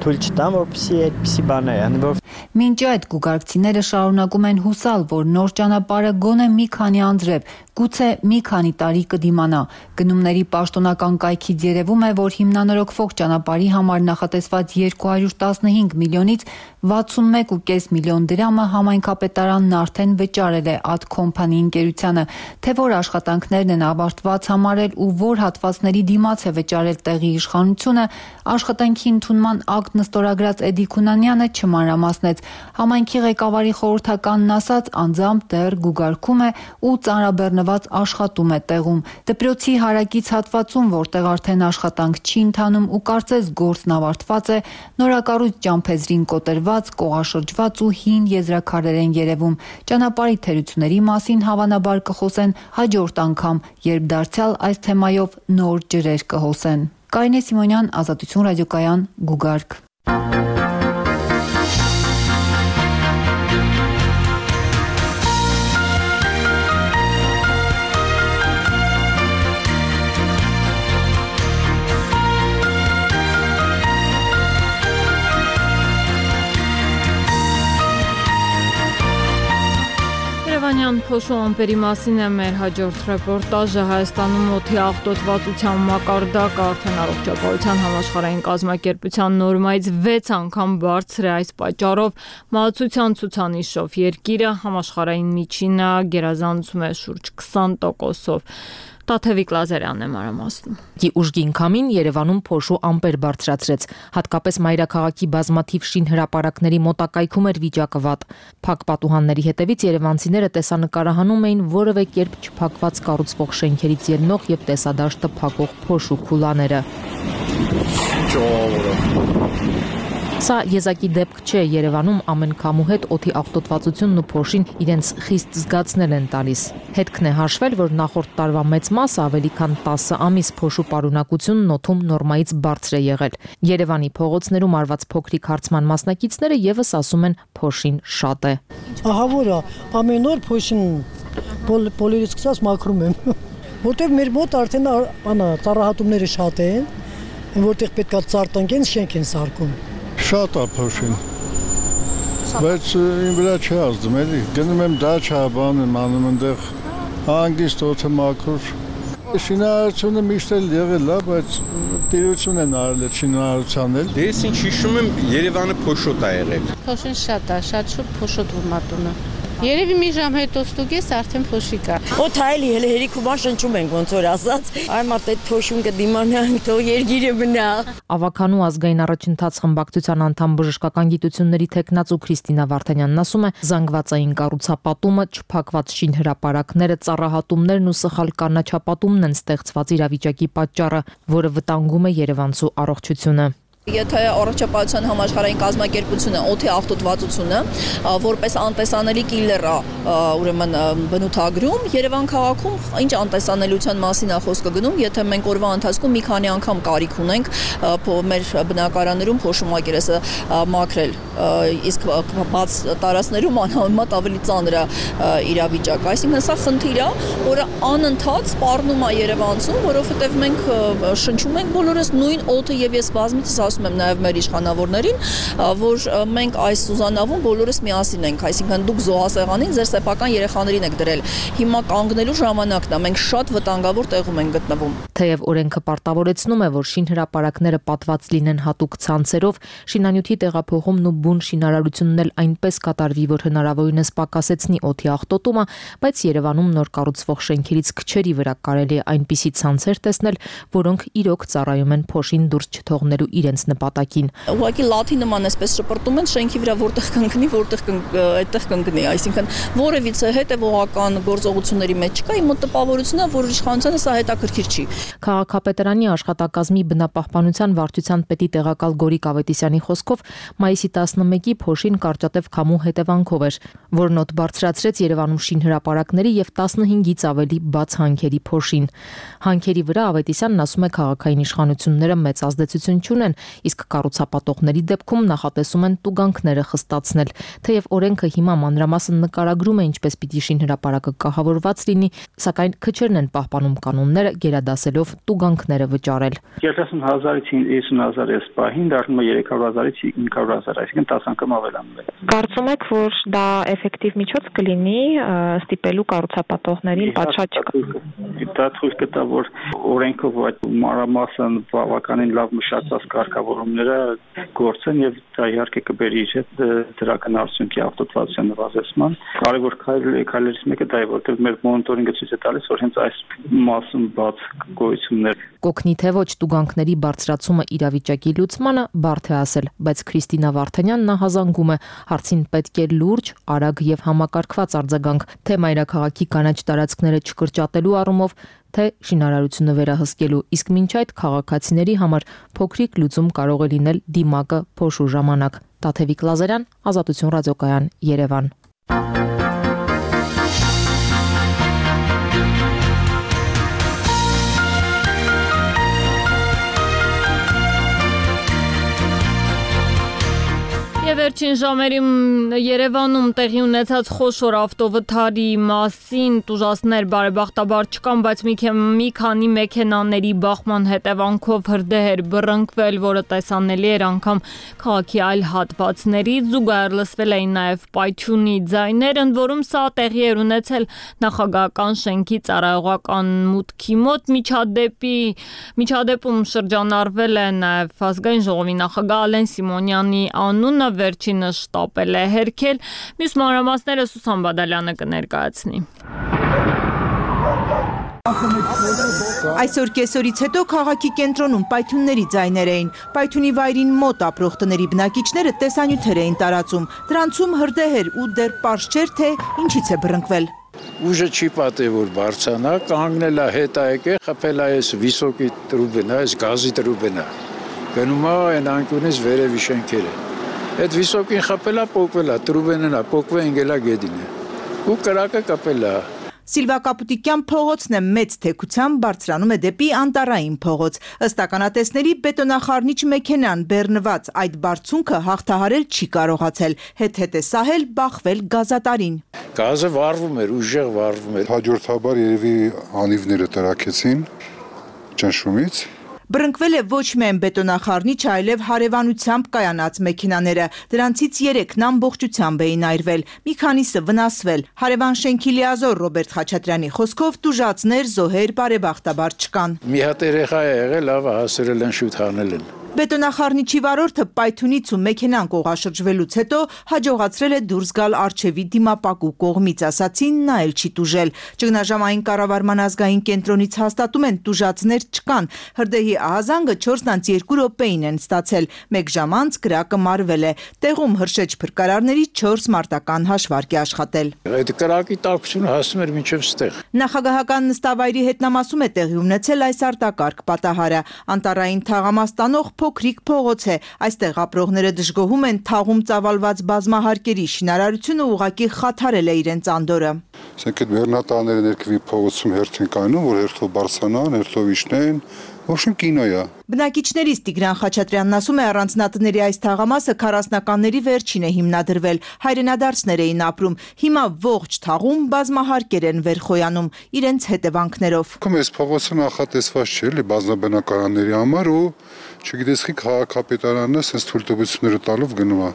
թույլ չտան, որպեսզի այդպիսի բաներ ան, որ Մինչ այդ գուգարքցիները շարունակում են հուսալ, որ նոր ճանապարհը գոնե մի քանի անձրև, գուցե մի քանի տարի կդիմանա։ Գնումների պաշտոնական կայքից երևում է, որ հիմնանորոգվող ճանապարհի համար նախատեսված երկու հարյուր տասնհինգ միլիոնից վաթսունմեկ կόμμα պենս միլիոն դրամը համայնքապետարանն արդեն վճարել է Ad Company ընկերությանը, թե որ աշխատանքներն են ավարտված համարել ու որ հատվածների դիմաց է վճարել տեղի իշխանությունը, աշխատանքի ընդունման ակտ նստորագրած Էդի Քունանյանը չմանրամասնեց։ Համայնքի ղեկավարի խորհրդականն ասաց, անձամբ դեռ գուգարկում է ու ծանրաբեռնված աշխատում է տեղում։ Դպրոցի հարակից հատվածում, որտեղ արդեն աշխատանք չի ընթանում ու կարծես գործն ավարտված է, նորակառույց ճամփեզրին կոտրված, կողաշրջված ու հին եզրաքարեր են երևում։ Ճանապարհի թերությունների մասին հավանաբար կխոսեն հաջորդ անգամ, երբ դարձյալ այս թեմայով նոր ջրեր կհոսեն։ Կարինե Սիմոնյան, Ազատություն ռադիոկայան, Գուգարք։ Երևանյան փոշու ամպերի մասին է մեր հաջորդ ռեպորտաժը։ Հայաստանում օդի աղտոտվածության մակարդակը արդեն առողջապահության համաշխարհային կազմակերպության նորմայից վեց անգամ բարձր է։ Այս պատճառով մահացության ցուցանիշով երկիրը համաշխարհային միջինը գերազանցում է շուրջ քսան տոկոսով։ Տաթևիկ Լազարյանն է մանրամասնում։ Ուժգին քամին Երևանում փոշու ամպեր բարձրացրեց, հատկապես մայրաքաղաքի բազմաթիվ շինհրապարակների մոտակայքում էր վիճակը վատ։ Փակ պատուհանների հետևից երևանցիները տեսանկարահանում էին որևէ կերպ չփակված կառուցվող շենքերից ելնող եւ տեսադաշտը փակող փոշու քուլաները։ Սա եզակի դեպք չէ, Երևանում ամեն քամու հետ օդի աղտոտվածությունն ու փոշին իրենց խիստ զգացնել են տալիս։ Հետքն է հաշվել, որ նախորդ տարվա մեծ մասը ավելի քան տասը ամիս փոշու պարունակությունն օդում նորմայից բարձր է եղել։ Երևանի փողոցներում արված փոքրիկ հարցման մասնակիցները եւս ասում են փոշին շատ է։ Ահա որ ամեն օր փոշին պոլերից սկսած մաքրում եմ, որտեղ մեր մոտ արդեն անա ծառահատումները շատ են, որտեղ պետքա ծառ տնկեն, շենք են սարքում։ Շատ է փոշին, բայց իմ վրա չի ազդում, էլի, գնում եմ դաչա, բան եմ անում ընդեղ, հանգիստ օդը մաքուր։ Շինարարությունը միշտ էլ եղել է, բայց տիրություն են արել այդ շինարարության էլ։ Դե ես ինչ հիշում եմ, Երևանը փոշոտ է եղել։ Փոշին շատ է, շատ շուտ փոշոտ ուրմատունը։ Երևի մի ժամ հետո ստուգես արդեն փոշի կա։ Օդ հայելի հենց հերիքուման շնչում ենք ոնց որ ասած։ Այ մարդ այդ փոշուն կդիմանանք, թող երգիրը մնա։ Ավականու ազգային առաջընթաց խմբակցության անդամ բժշկական գիտությունների տեխնաց ու Քրիստինա Վարդանյանն ասում է, զանգվածային կառուցապատումը, չփակված շինհրապարակները, ծառահատումներն ու սխալ կանաչապատումն են ստեղծված իրավիճակի պատճառը, որը վտանգում է երևանցու առողջությունը։ Եթե առողջապահության համաշխարհային կազմակերպությունը օդի աղտոտվածությունը որպես անտեսանելի կիլեր է ուրեմն բնութագրում, Երևան քաղաքում ինչ անտեսանելիության մասին է խոսքը գնում, եթե մենք օրվա ընթացքում մի քանի անգամ կարիք ունենք մեր բնակարաններում փոշու մակերեսը մաքրել, իսկ բաց տարածքներում անհամեմատ ավելի ծանր է իրավիճակը, այսինքն սա խնդիր է, որը անընդհատ սպառնում է երևանցուն, որովհետև մենք շնչում ենք բոլորս նույն օդը եւ ես բազմիցս ասում եմ նաև մեր իշխանավորներին, որ մենք այս Սուզանավում բոլորս միասին ենք, այսինքն դուք զոհասեղանին ձեր սեփական երեխաներին եք դրել։ Հիմա կանգնելու ժամանակն է, մենք շատ վտանգավոր տեղում ենք գտնվում։ Թեև օրենքը պարտավորեցնում է, որ շինհրապարակները պատված լինեն հատուկ ցանցերով, շինանյութի տեղափոխումն ու բուն շինարարությունն էլ այնպես կատարվի, որ հնարավորինս պակասեցնի օդի աղտոտումը, բայց Երևանում նոր կառուցվող շենքերից քչերի վրա կարելի է այնպիսի ցանցեր տեսնել, որոնք իրոք ծառայում են փոշին դուրս չթողնելու իրենց նպատակին։ Ուղղակի լաթի նման էսպես շպրտում են շենքի վրա, որտեղ կընկնի, որտեղ այդտեղ կընկնի, այսինքն որևիցե հետևողական գործողությունների մեջ չկա, իմ մոտ տպավորությունն է, որ իշխանությանը սա հետաքրքիր չի։ Քաղաքապետարանի աշխատակազմի բնապահպանության վարչության պետի տեղակալ Գորիկ Ավետիսյանի խոսքով մայիսի տասնմեկի փոշին կարճատև քամու հետևանքով էր, որն օդ բարձրացրեց Երևանում շինհրապարակների եւ տասնհինգից ավելի բաց հանքերի փոշին։ Հանքերի վրա Ավետիսյանն ասում է քաղաքային իշխանությունները մեծ ազդեցություն չունեն, իսկ կառուցապատողների դեպքում նախատեսում են տուգանքները խստացնել։ Թեև օրենքը հիմա մանրամասն նկարագրում է ինչպես պիտի շինհրապարակը կահավորված լինի, սակայն քչերն են պահպանում կանոնները, գերադասելով տուգանքները վճարել։ երեսուն հազարից հիսուն հազար էս պահին դառնում է երեք հարյուր հազարից հինգ հարյուր հազար, այսինքն տասը անգամ ավելանում է։ Կարծում եք, որ դա էֆեկտիվ միջոց կլինի ստիպելու կառուցապատողներին պատշաճ դա ցույց կտա, որ օրենքով այդ մանրամասն բավականին լավ մշակված կարգավորումները գործեն եւ դա իհարկե կբերի իր հետ դրական արդյունքի արտադրության նվազեցման։ Կարևոր քայլերից մեկը դա է, որտեղ մեր մոնիտորինգը ցույց է տալիս, որ հենց այս մասում բաց գոյություններ կօգնի թե ոչ տուգանքների բարձրացումը իրավիճակի լուծմանը բարդ է ասել, բայց Քրիստինա Վարդանյանն հազանգում է, հարցին պետք է լուրջ, արագ եւ համակարգված արձագանք, թե մայրաքաղաքի կանաչ տարածքները չկրճատելու առումով, թե շինարարությունը վերահսկելու, իսկ մինչ այդ քաղաքացիների համար փոքրիկ լուծում կարող է լինել դիմակը փոշու ժամանակ։ Տաթևիկ Լազարյան, Ազատություն ռադիոկայան, Երևան։ Եվ վերջին ժամերին Երևանում տեղի ունեցած խոշոր ավտովթարի մասին տուժածներ բարեբախտաբար չկան, բայց մի քանի մեքենաների բախման հետևանքով հրդեհ էր բռնկվել, որը տեսանելի էր անգամ քաղաքի այլ հատվածներից, զուգահեռ լսվել էին նաև պայթյունի ձայներ, ընդ որում սա տեղի էր ունեցել նախագահական շենքի ծառայողական մուտքի մոտ, միջադեպի միջադեպում շրջանառվել է նաև ազգային ժողովի նախագահ Ալեն Սիմոնյանի անունը, վերջինը շտապել է հերքել, մյուս մանրամասները Սուսան Բադալյանը կներկայացնի։ Այսօր կեսօրից հետո քաղաքի կենտրոնում պայթյունների ձայներ էին։ Պայթյունի վայրին մոտ ապրող տների բնակիչները տեսանյութեր էին տարածում։ Դրանցում հրդեհ էր ու դեռ պարզ չէր, թե ինչից է բռնկվել։ Ուժը չի պատե, որ բարձանա, կանգնել է հետ եկե, խփել է այս վիսոկի տրուբենա, այս գազի տրուբենա։ Գնում է այն անկյունից վերևի շենքերը։ Այդ վիսոկին խփել է, պոկվել է, տրուբենն է, պոկվել ընկել է գեդին է։ Ու կրակը կապել է։ Սիլվա Կապուտիկյան փողոցն է մեծ թեքությամբ բարձրանում է դեպի Անտարային փողոց։ Ըստ ականատեսների բետոնախառնիչ մեքենան բեռնված այդ բարձունքը հաղթահարել չի կարողացել, հետ-հետ է սահել բախվել գազատարին։ Գազը վառվում էր, ուժեղ վառվում էր։ Հաջորդաբար երևի անիվները տրաքեցին ճնշումից։ Բռնկվել է ոչ միայն բետոնախառնիչը, այլև հարևանությամբ կայանած մեքենաները։ Դրանցից երեքն ամբողջությամբ էին այրվել, մի քանիսը վնասվել։ Հարևան շենքի լիազոր Ռոբերտ Խաչատրյանի խոսքով տուժածներ, զոհեր բարեբախտաբար չկան։ Մի հատ երեխա է եղել, լավ հասրել են, շուտ հանել են։ Բետոնախառնիչի վարորդը պայթյունից ու մեքենան կողաշրջվելուց հետո հաջողացրել է դուրս գալ առջևի դիմապակու կողմից, ասացին, նա էլ չի տուժել։ Ճգնաժամային կառավարման ազգային կենտրոնից հաստատում են տուժածներ չկան։ Հրդեհի ահազանգը չորս տասնյակ երկու րոպեին են ստացել, մեկ ժամ անց կրակը մարվել է։ Տեղում հրշեջ փրկարարների չորս մարտական հաշվարկ է աշխատել։ Այդ կրակի տաքությունը հասնում էր մինչև ստեղ։ Նախագահական նստավայրի հետնամասում է տեղի ունեցել այս արտակարգ պատահարը։ Անտարային թաղամաս տանող փոքրիկ փողոց է, այստեղ ապրողները դժգոհում են թաղում ծավալված բազմահարկերի շինարարությունը ուղղակի խաթարել է իրենց անդորը։ Ասենք այդ բեռնատարները ներքևի փողոցում հերթ են կայանում, որ հերթով բարձրանան, հերթով իջնեն, ոչինչ կինո է։ Բնակիչներից Տիգրան Խաչատրյանն ասում է, առանձնատների այս թաղամասը քառասնականների վերջին է հիմնադրվել, հայրենադարձներ էին ապրում, հիմա ողջ թաղում բազմահարկեր են վերխոյանում իրենց հետևանքներով։ Այս փողոցը նախատեսված չէ էլի բազմաբնակարանների համար ու չգիտես խի քաղաքապետարանը sense թույլտվությունները տալով գնում է։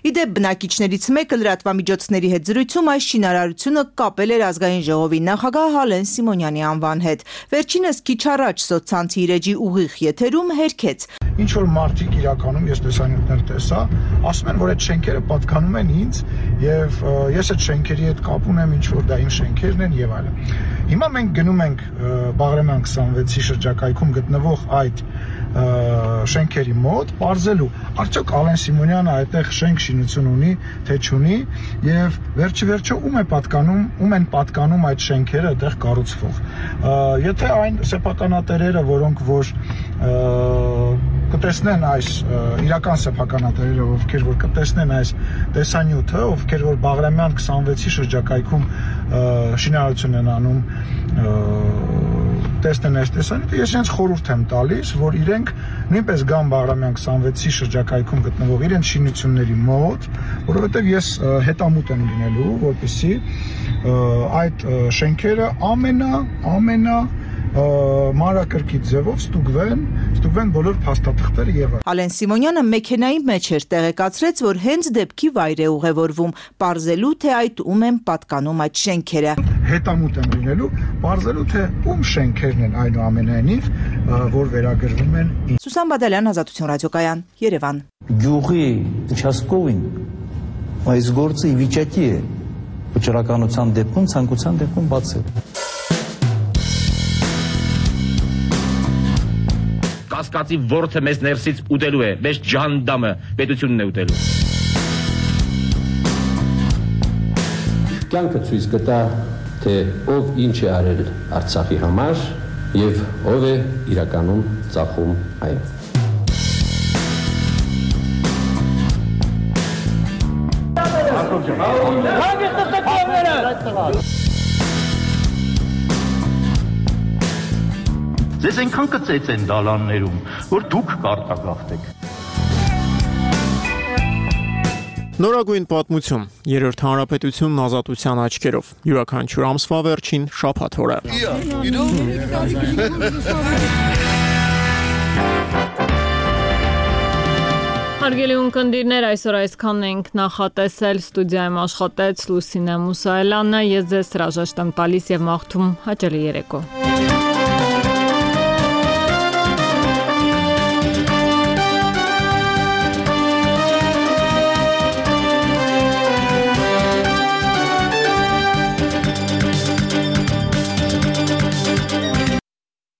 Իդեպ բնակիչներից մեկը լրատվամիջոցների հետ զրույցում այս շինարարությունը կապել էր ազգային ժողովի նախագահ Ալեն Սիմոնյանի անվան հետ։ Վերջինս քիչ առաջ սոցցանցի իր էջի ուղիղ եթերում հերքեց։ Ինչ որ մարդիկ իրականում ես տեսանյութներ տեսա, ասում են, որ այդ շենքերը պատկանում են ինձ եւ ես այդ շենքերի հետ կապ ունեմ, ինչ որ դա իմ շենքերն են եւ այլն։ Հիմա մենք գնում ենք Բաղրամյան քսանվեցի շրջակայքում գտնվող այդ շենքերի մոտ բարձելու արդյոք Ալեն Սիմոնյանը այդտեղ շենք շինություն ունի, թե չունի եւ վերջի վերջո ում է պատկանում, ում են պատկանում այդ շենքերը այդտեղ կառուցվող։ Եթե այն սեփականատերերը, որոնք որ կտեսնեն այս իրական սեփականատերերը, ովքեր որ կտեսնեն այս տեսանյութը, ովքեր որ Բաղրամյան քսանվեցի շրջակայքում շինարարություն են անում տեսնեն այս տեսանյութը, ես իրենց խորհուրդ եմ տալիս, որ իրենք նույնպես գան Բաղրամյան քսանվեցի շրջակայքում գտնվող իրենց շինությունների մոտ, որովհետև ես հետամուտ եմ լինելու, որպեսզի այդ շենքերը ամենա ամենա մանրակրկիտ ձևով ստուգվեն, ստուգվեն բոլոր փաստաթղթերը եւ այլն։ Ալեն Սիմոնյանը մեքենայի մեջ էր տեղեկացրեց, որ հենց դեպքի վայր է ուղևորվում, պարզելու թե այդ ում են պատկանում այդ շենքերը։ Հետամուտ եմ լինելու, պարզելու թե ում շենքերն են այնուամենայնիվ, որ վերագրվում են։ Սուսան Բադալյան, Ազատություն ռադիոկայան, Երևան։ Գյուղի участковին այս գործը ի վիճակի է վճռականության դեպքում, ցանկության դեպքում բացել։ Կասկածի ворթը մեզ ներսից ուտելու է, մեզ ջանդամը պետությունն է ուտելու։ Կյանքը ցույց կտա, թե ով ինչ է արել Արցախի համար եւ ով է իրականում ծախում այն։ Ձեզ այնքան կծեց են դալաններում, որ դուք կարտագաղթեք։ Նորագույն պատմություն, երրորդ հանրապետությունն ազատության աչքերով, յուրաքանչյուր ամսվա վերջին շաբաթ օրը։ Հարգելի ունկնդիրներ, այսօր այսքանն ենք նախատեսել, ստուդիայում աշխատեց Լուսինե Մուսայելյանը, ես ձեզ հրաժեշտ եմ տալիս եւ մաղթում հաճելի երեկո։